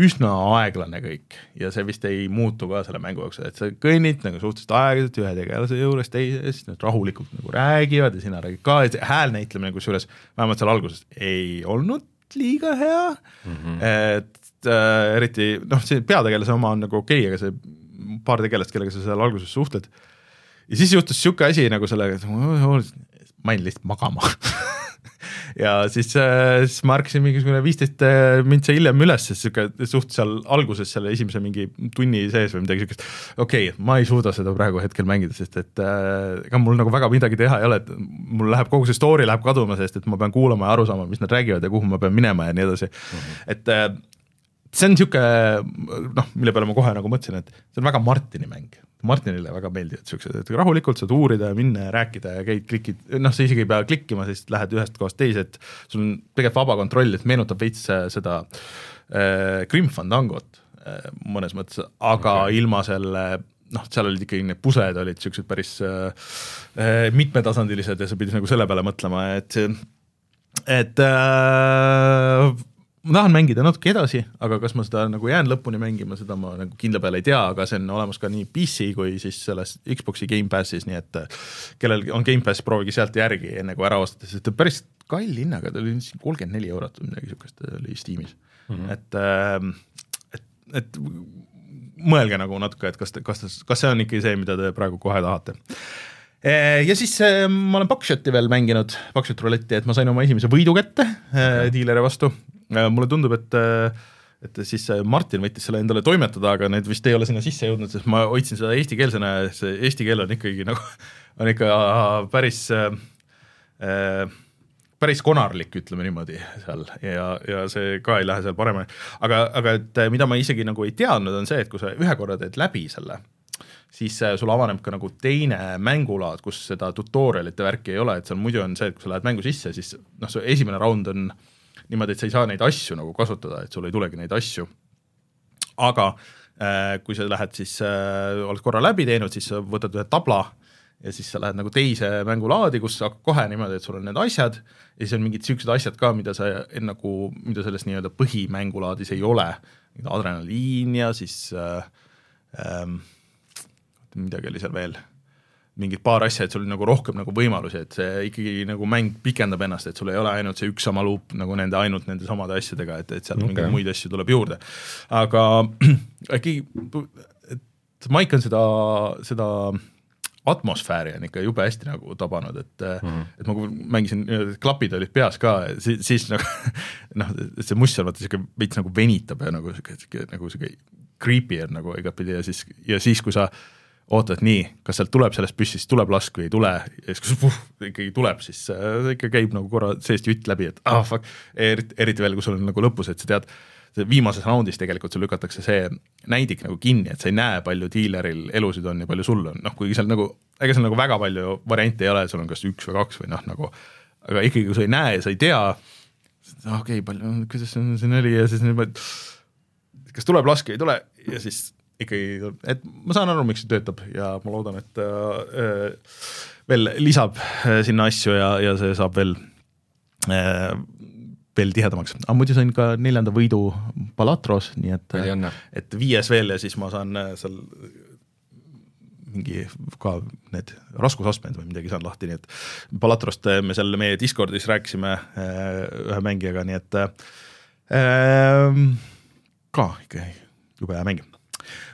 üsna aeglane kõik ja see vist ei muutu ka selle mängu jaoks, et sa kõnnid nagu suhteliselt aeglaselt ühe tegelase juures teise, siis need rahulikult nagu räägivad ja sina räägid ka, et hääl näitlemine kusjuures vähemalt seal alguses ei olnud liiga hea, mm -hmm. et äh, eriti, noh, see peategelase oma on nagu okei okay,, aga see paar tegelast, kellega sa seal alguses suhtled, ja siis juhtus siuke asi nagu sellega, et ma jäin lihtsalt magama ja siis, siis ma ärkasin mingisugune viisteist mintse hiljem üles, sest siuke suht seal alguses selle esimese mingi tunni sees või midagi siukest, okei okay,, ma ei suuda seda praegu hetkel mängida, sest et ega mul nagu väga midagi teha ei ole, et mul läheb kogu see story läheb kaduma, sest et ma pean kuulama ja aru saama, mis nad räägivad ja kuhu ma pean minema ja nii edasi, mm-hmm. et see on siuke, noh, mille peale ma kohe nagu mõtlesin, et see on väga Martini mäng. Martinile väga meeldivad siuksed, et rahulikult saad uurida ja minna ja rääkida ja käid klikid, noh, sa isegi ei pea klikkima, siis lähed ühest kohast teise, et sul on tegelikult vaba kontroll, et meenutab veits seda äh, Grim Fandangot äh, mõnes mõttes, aga okay. ilma selle, noh, seal olid ikkagi need pusled olid siuksed päris äh, mitmetasandilised ja sa pidid nagu selle peale mõtlema, et et äh, ma tahan mängida natuke edasi, aga kas ma seda nagu jään lõpuni mängima, seda ma nagu kindla peale ei tea, aga see on olemas ka nii P C kui siis selles Xboxi Game Passis, nii et kellel on Game Pass, proovigi sealt järgi enne kui ära ostada, sest päris kall hinnaga, ta oli kolmkümmend neli eurot või midagi siukest oli Steamis. Mm -hmm. et, et, et mõelge nagu natuke, et kas, kas, kas see on ikkagi see, mida te praegu kohe tahate. Ja siis ma olen Buckshoti veel mänginud, Buckshot rouletti, et ma sain oma esimese võidu kätte okay. diileri vastu. Mulle tundub, et, et siis Martin võttis selle endale toimetada, aga need vist ei ole sinna sisse jõudnud, sest ma hoidsin seda eestikeelsena ja see eesti keel on ikkagi nagu, on ikka päris, päris konarlik, ütleme niimoodi seal ja, ja see ka ei lähe seal paremini. Aga, aga et mida ma isegi nagu ei teadnud, on see, et kui sa ühe korra teed läbi selle, siis sul avaneb ka nagu teine mängulaad, kus seda tutorialite värki ei ole, et seal muidu on see, et kui sa lähed mängu sisse, siis noh, see esimene raund on niimoodi, et sa ei saa neid asju nagu kasutada, et sul ei tulegi neid asju. Aga äh, kui sa lähed siis, äh, oled korra läbi teinud, siis sa võtad ühe tabla ja siis sa lähed nagu teise mängulaadi, kus sa kohe niimoodi, et sul on need asjad ja siis on mingid siuksed asjad ka, mida sa nagu, mida selles nii-öelda põhimängulaadis ei ole. Adrenaliin ja siis äh, äh, midagi oli seal veel. Mingid paar asja, et sul on nagu rohkem nagu võimalusi, et see ikkagi nagu mäng pikendab ennast, et sul ei ole ainult see üks sama luup nagu nende ainult nende samade asjadega, et, et sealt okay. mingeid muid asju tuleb juurde. Aga äkki, et Mike on seda, seda atmosfääri on ikka jube hästi nagu tabanud, et, mm-hmm. et ma mängisin, klapid olid peas ka, siis, siis nagu, noh, see must seal vaata siuke veits nagu venitab ja nagu siuke, nagu siuke creepy on nagu igatpidi ja siis, ja siis kui sa ootad nii, kas sealt tuleb sellest püssist, tuleb lask või ei tule, ja siis kui puh, ikkagi tuleb, siis see ikka käib nagu korra seest jutt läbi, et ah fuck, eriti, eriti veel, kui sul on nagu lõpus, et sa tead, viimases raundis tegelikult sul lükatakse see näidik nagu kinni, et sa ei näe, palju diileril elusid on ja palju sul on, noh, kuigi seal nagu, ega seal nagu väga palju variante ei ole, sul on kas üks või kaks või noh, nagu, aga ikkagi, kui sa ei näe ja sa ei tea, okei okay,, palju, kuidas see neli ja siis niimoodi, kas tuleb laske, ei tule ja siis ikkagi, et ma saan aru, miks see töötab ja ma loodan, et äh, veel lisab sinna asju ja, ja see saab veel äh, veel tihedamaks. Aga muidu sain ka neljanda võidu Palatros, nii et, et viies veel ja siis ma saan seal mingi ka need raskusastmed või midagi saan lahti, nii et Palatrost me seal meie Discordis rääkisime ühe mängijaga, nii et äh, ka ikka jube hea mäng.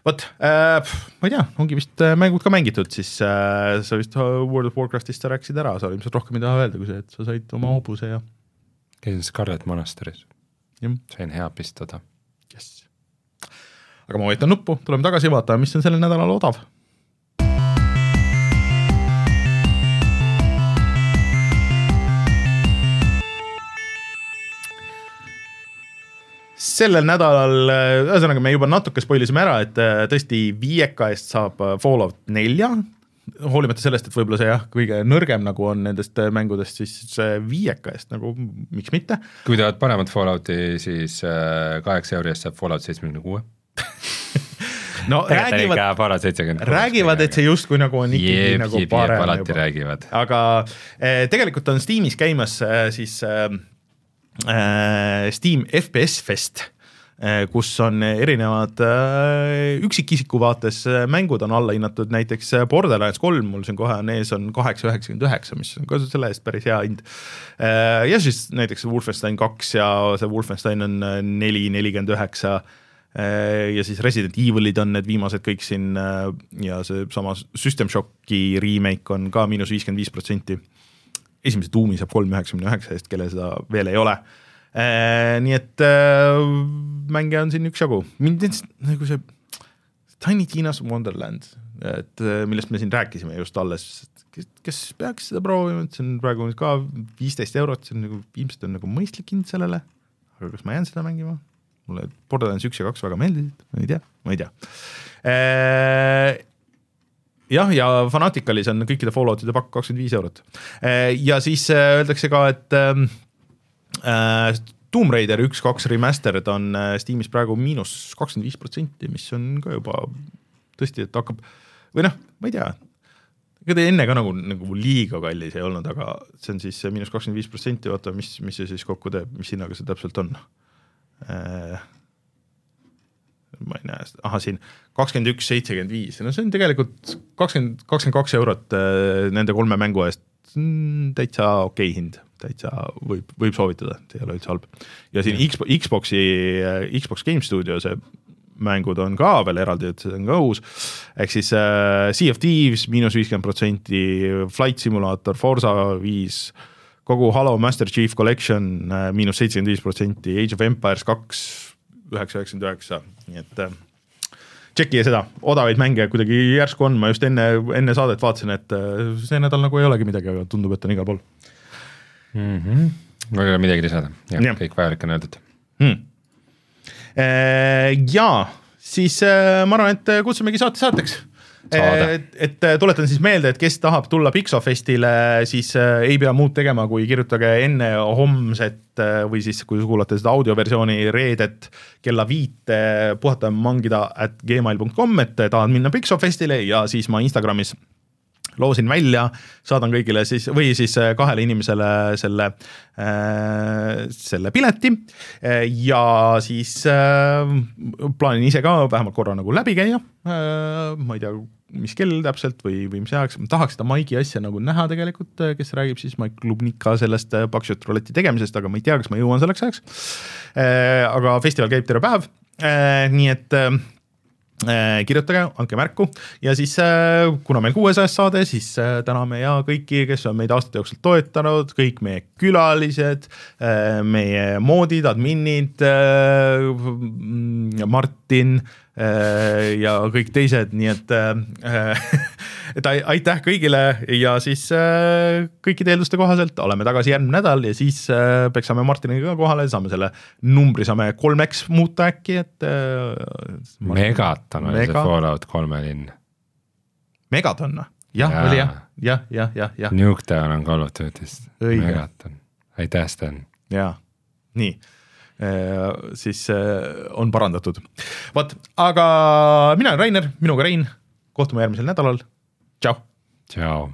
Vot, äh, ma ei tea, ongi vist mängud ka mängitud, siis äh, sa vist World of Warcraftist sa rääkisid ära, sa ilmselt rohkem ei taha öelda, kui see, et sa said oma hobuse ja käisin Scarlet Monasteris. Sain hea pistada. Yes. Aga ma võitan nuppu, tuleme tagasi vaata, mis on sellel nädalal odav. Sellel nädalal, ühesõnaga me juba natuke spoilisime ära, et tõesti viieka eest saab Fallout nelja, hoolimata sellest, et võib-olla see jah, kõige nõrgem nagu on nendest mängudest, siis see viieka eest nagu, miks mitte. Kui tahad paremat Fallouti, siis kaheksa euri eest saab Fallout seitsekümmend kuus. No räägivad, räägivad, et see justkui nagu on ikkagi jeeb, nagu jeeb, parem. Jeeb, alati räägivad. Aga eh, tegelikult on Steamis käimas eh, siis eh, Steam F P S Fest, kus on erinevad üksikisiku vaates mängud on alla hinnatud, näiteks Borderlands kolm, mul siin kohe on ees on kaheksa üheksakümmend üheksa, mis on ka selle eest päris hea hind. Ja siis näiteks Wolfenstein kaks ja see Wolfenstein on neli nelikümmend üheksa ja siis Resident Evilid on need viimased kõik siin ja see sama System Shocki remake on ka miinus viiskümmend viis protsenti. Esimese tuumi saab kolm üheksakümmend üheksa eest, kelle seda veel ei ole. Äh, nii et äh, mänge on siin üks jagu. Mind nagu see Tiny Tina's Wonderland, et, millest me siin rääkisime just alles, kes, kes peaks seda proovima, et see on praegu ka viisteist eurot, see on nagu, ilmselt on nagu mõistlik hind sellele, aga kas ma jään seda mängima? Mulle Borderlands üks ja kaks väga meeldisid, ma ei tea, ma ei tea. Äh, jah, ja Fanaticalis on kõikide Falloutide pakk kakskümmend viis eurot. Äh, ja siis äh, öeldakse ka, et äh, Uh, Tomb Raider üks kaks remastered on uh, Steamis praegu miinus kakskümmend viis protsenti, mis on ka juba tõesti, et hakkab, või noh, ma ei tea, ega ta enne ka nagu, nagu liiga kallis ei olnud, aga see on siis miinus kakskümmend viis protsenti, vaata, mis, mis see siis kokku teeb, mis hinnaga see täpselt on. Uh, ma ei näe, aha, siin kakskümmend üks seitsekümmend viis, no see on tegelikult kakskümmend, kakskümmend kaks eurot uh, nende kolme mängu eest, täitsa okei hind, täitsa võib, võib soovitada, see ei ole üldse halb. Ja siin Xbox, Xboxi, Xbox Game Studio, see mängud on ka veel eraldi, et see on ka uus, ehk siis uh, Sea of Thieves, miinus viiskümmend protsenti, Flight Simulator, Forza viis, kogu Halo Master Chief Collection, uh, miinus seitsekümmend viis protsenti, Age of Empires kaks, üheksa üheksakümmend üheksa, nii et uh, tšekki seda, odavaid mänge kuidagi järsku on, ma just enne, enne saadet vaatasin, et uh, see nädal nagu ei olegi midagi, aga tundub, et on igal pool. Mm-hmm. Ma ei ole midagi lisada, ja, ja. Kõik vajalik on öeldud. Hmm. Ja siis ma arvan, et kutsumegi saate saateks. Et, et tuletan siis meelde, et kes tahab tulla Pixofestile, siis ei pea muud tegema, kui kirjutage enne homset või siis kui kuulate seda audioversiooni reedet kella viite puhata mangida at gmail dot com, et tahad minna Pixofestile ja siis ma Instagramis loosin välja, saadan kõigile siis, või siis kahele inimesele selle, äh, selle pileti ja siis äh, plaanin ise ka vähemalt korra nagu läbi käia, äh, ma ei tea, mis kell täpselt või, või mis ajaks, ma tahaks seda Maigi asja nagu näha tegelikult, kes räägib siis Maik Klubnika sellest Pakšut Rouleti tegemisest, aga ma ei tea, kas ma jõuan selleks ajaks, äh, aga festival käib terve päev, äh, nii et äh, kirjutage, andke märku ja siis kuna meil kuuesajas saade, siis täname ja kõiki, kes on meid aastate jooksul toetanud, kõik meie külalised, meie moodid, adminid, Martin ja kõik teised, nii et, et aitäh kõigile ja siis kõikide eelduste kohaselt oleme tagasi järgmine nädal ja siis peaks saame Martiniga kohale, saame selle numbri, saame kolm X muuta äkki, et Megaton oli Mega. See Fallout kolme linn. Megaton, jah, ja. Oli jah, jah, jah, jah, jah. Nuketown on Call of Duty'st. Megaton, aitäh Sten. Jaa, nii. siis on parandatud. Vot, aga mina olen Rainer, minuga Rein, kohtume järgmisel nädalal, tšau! Tšau!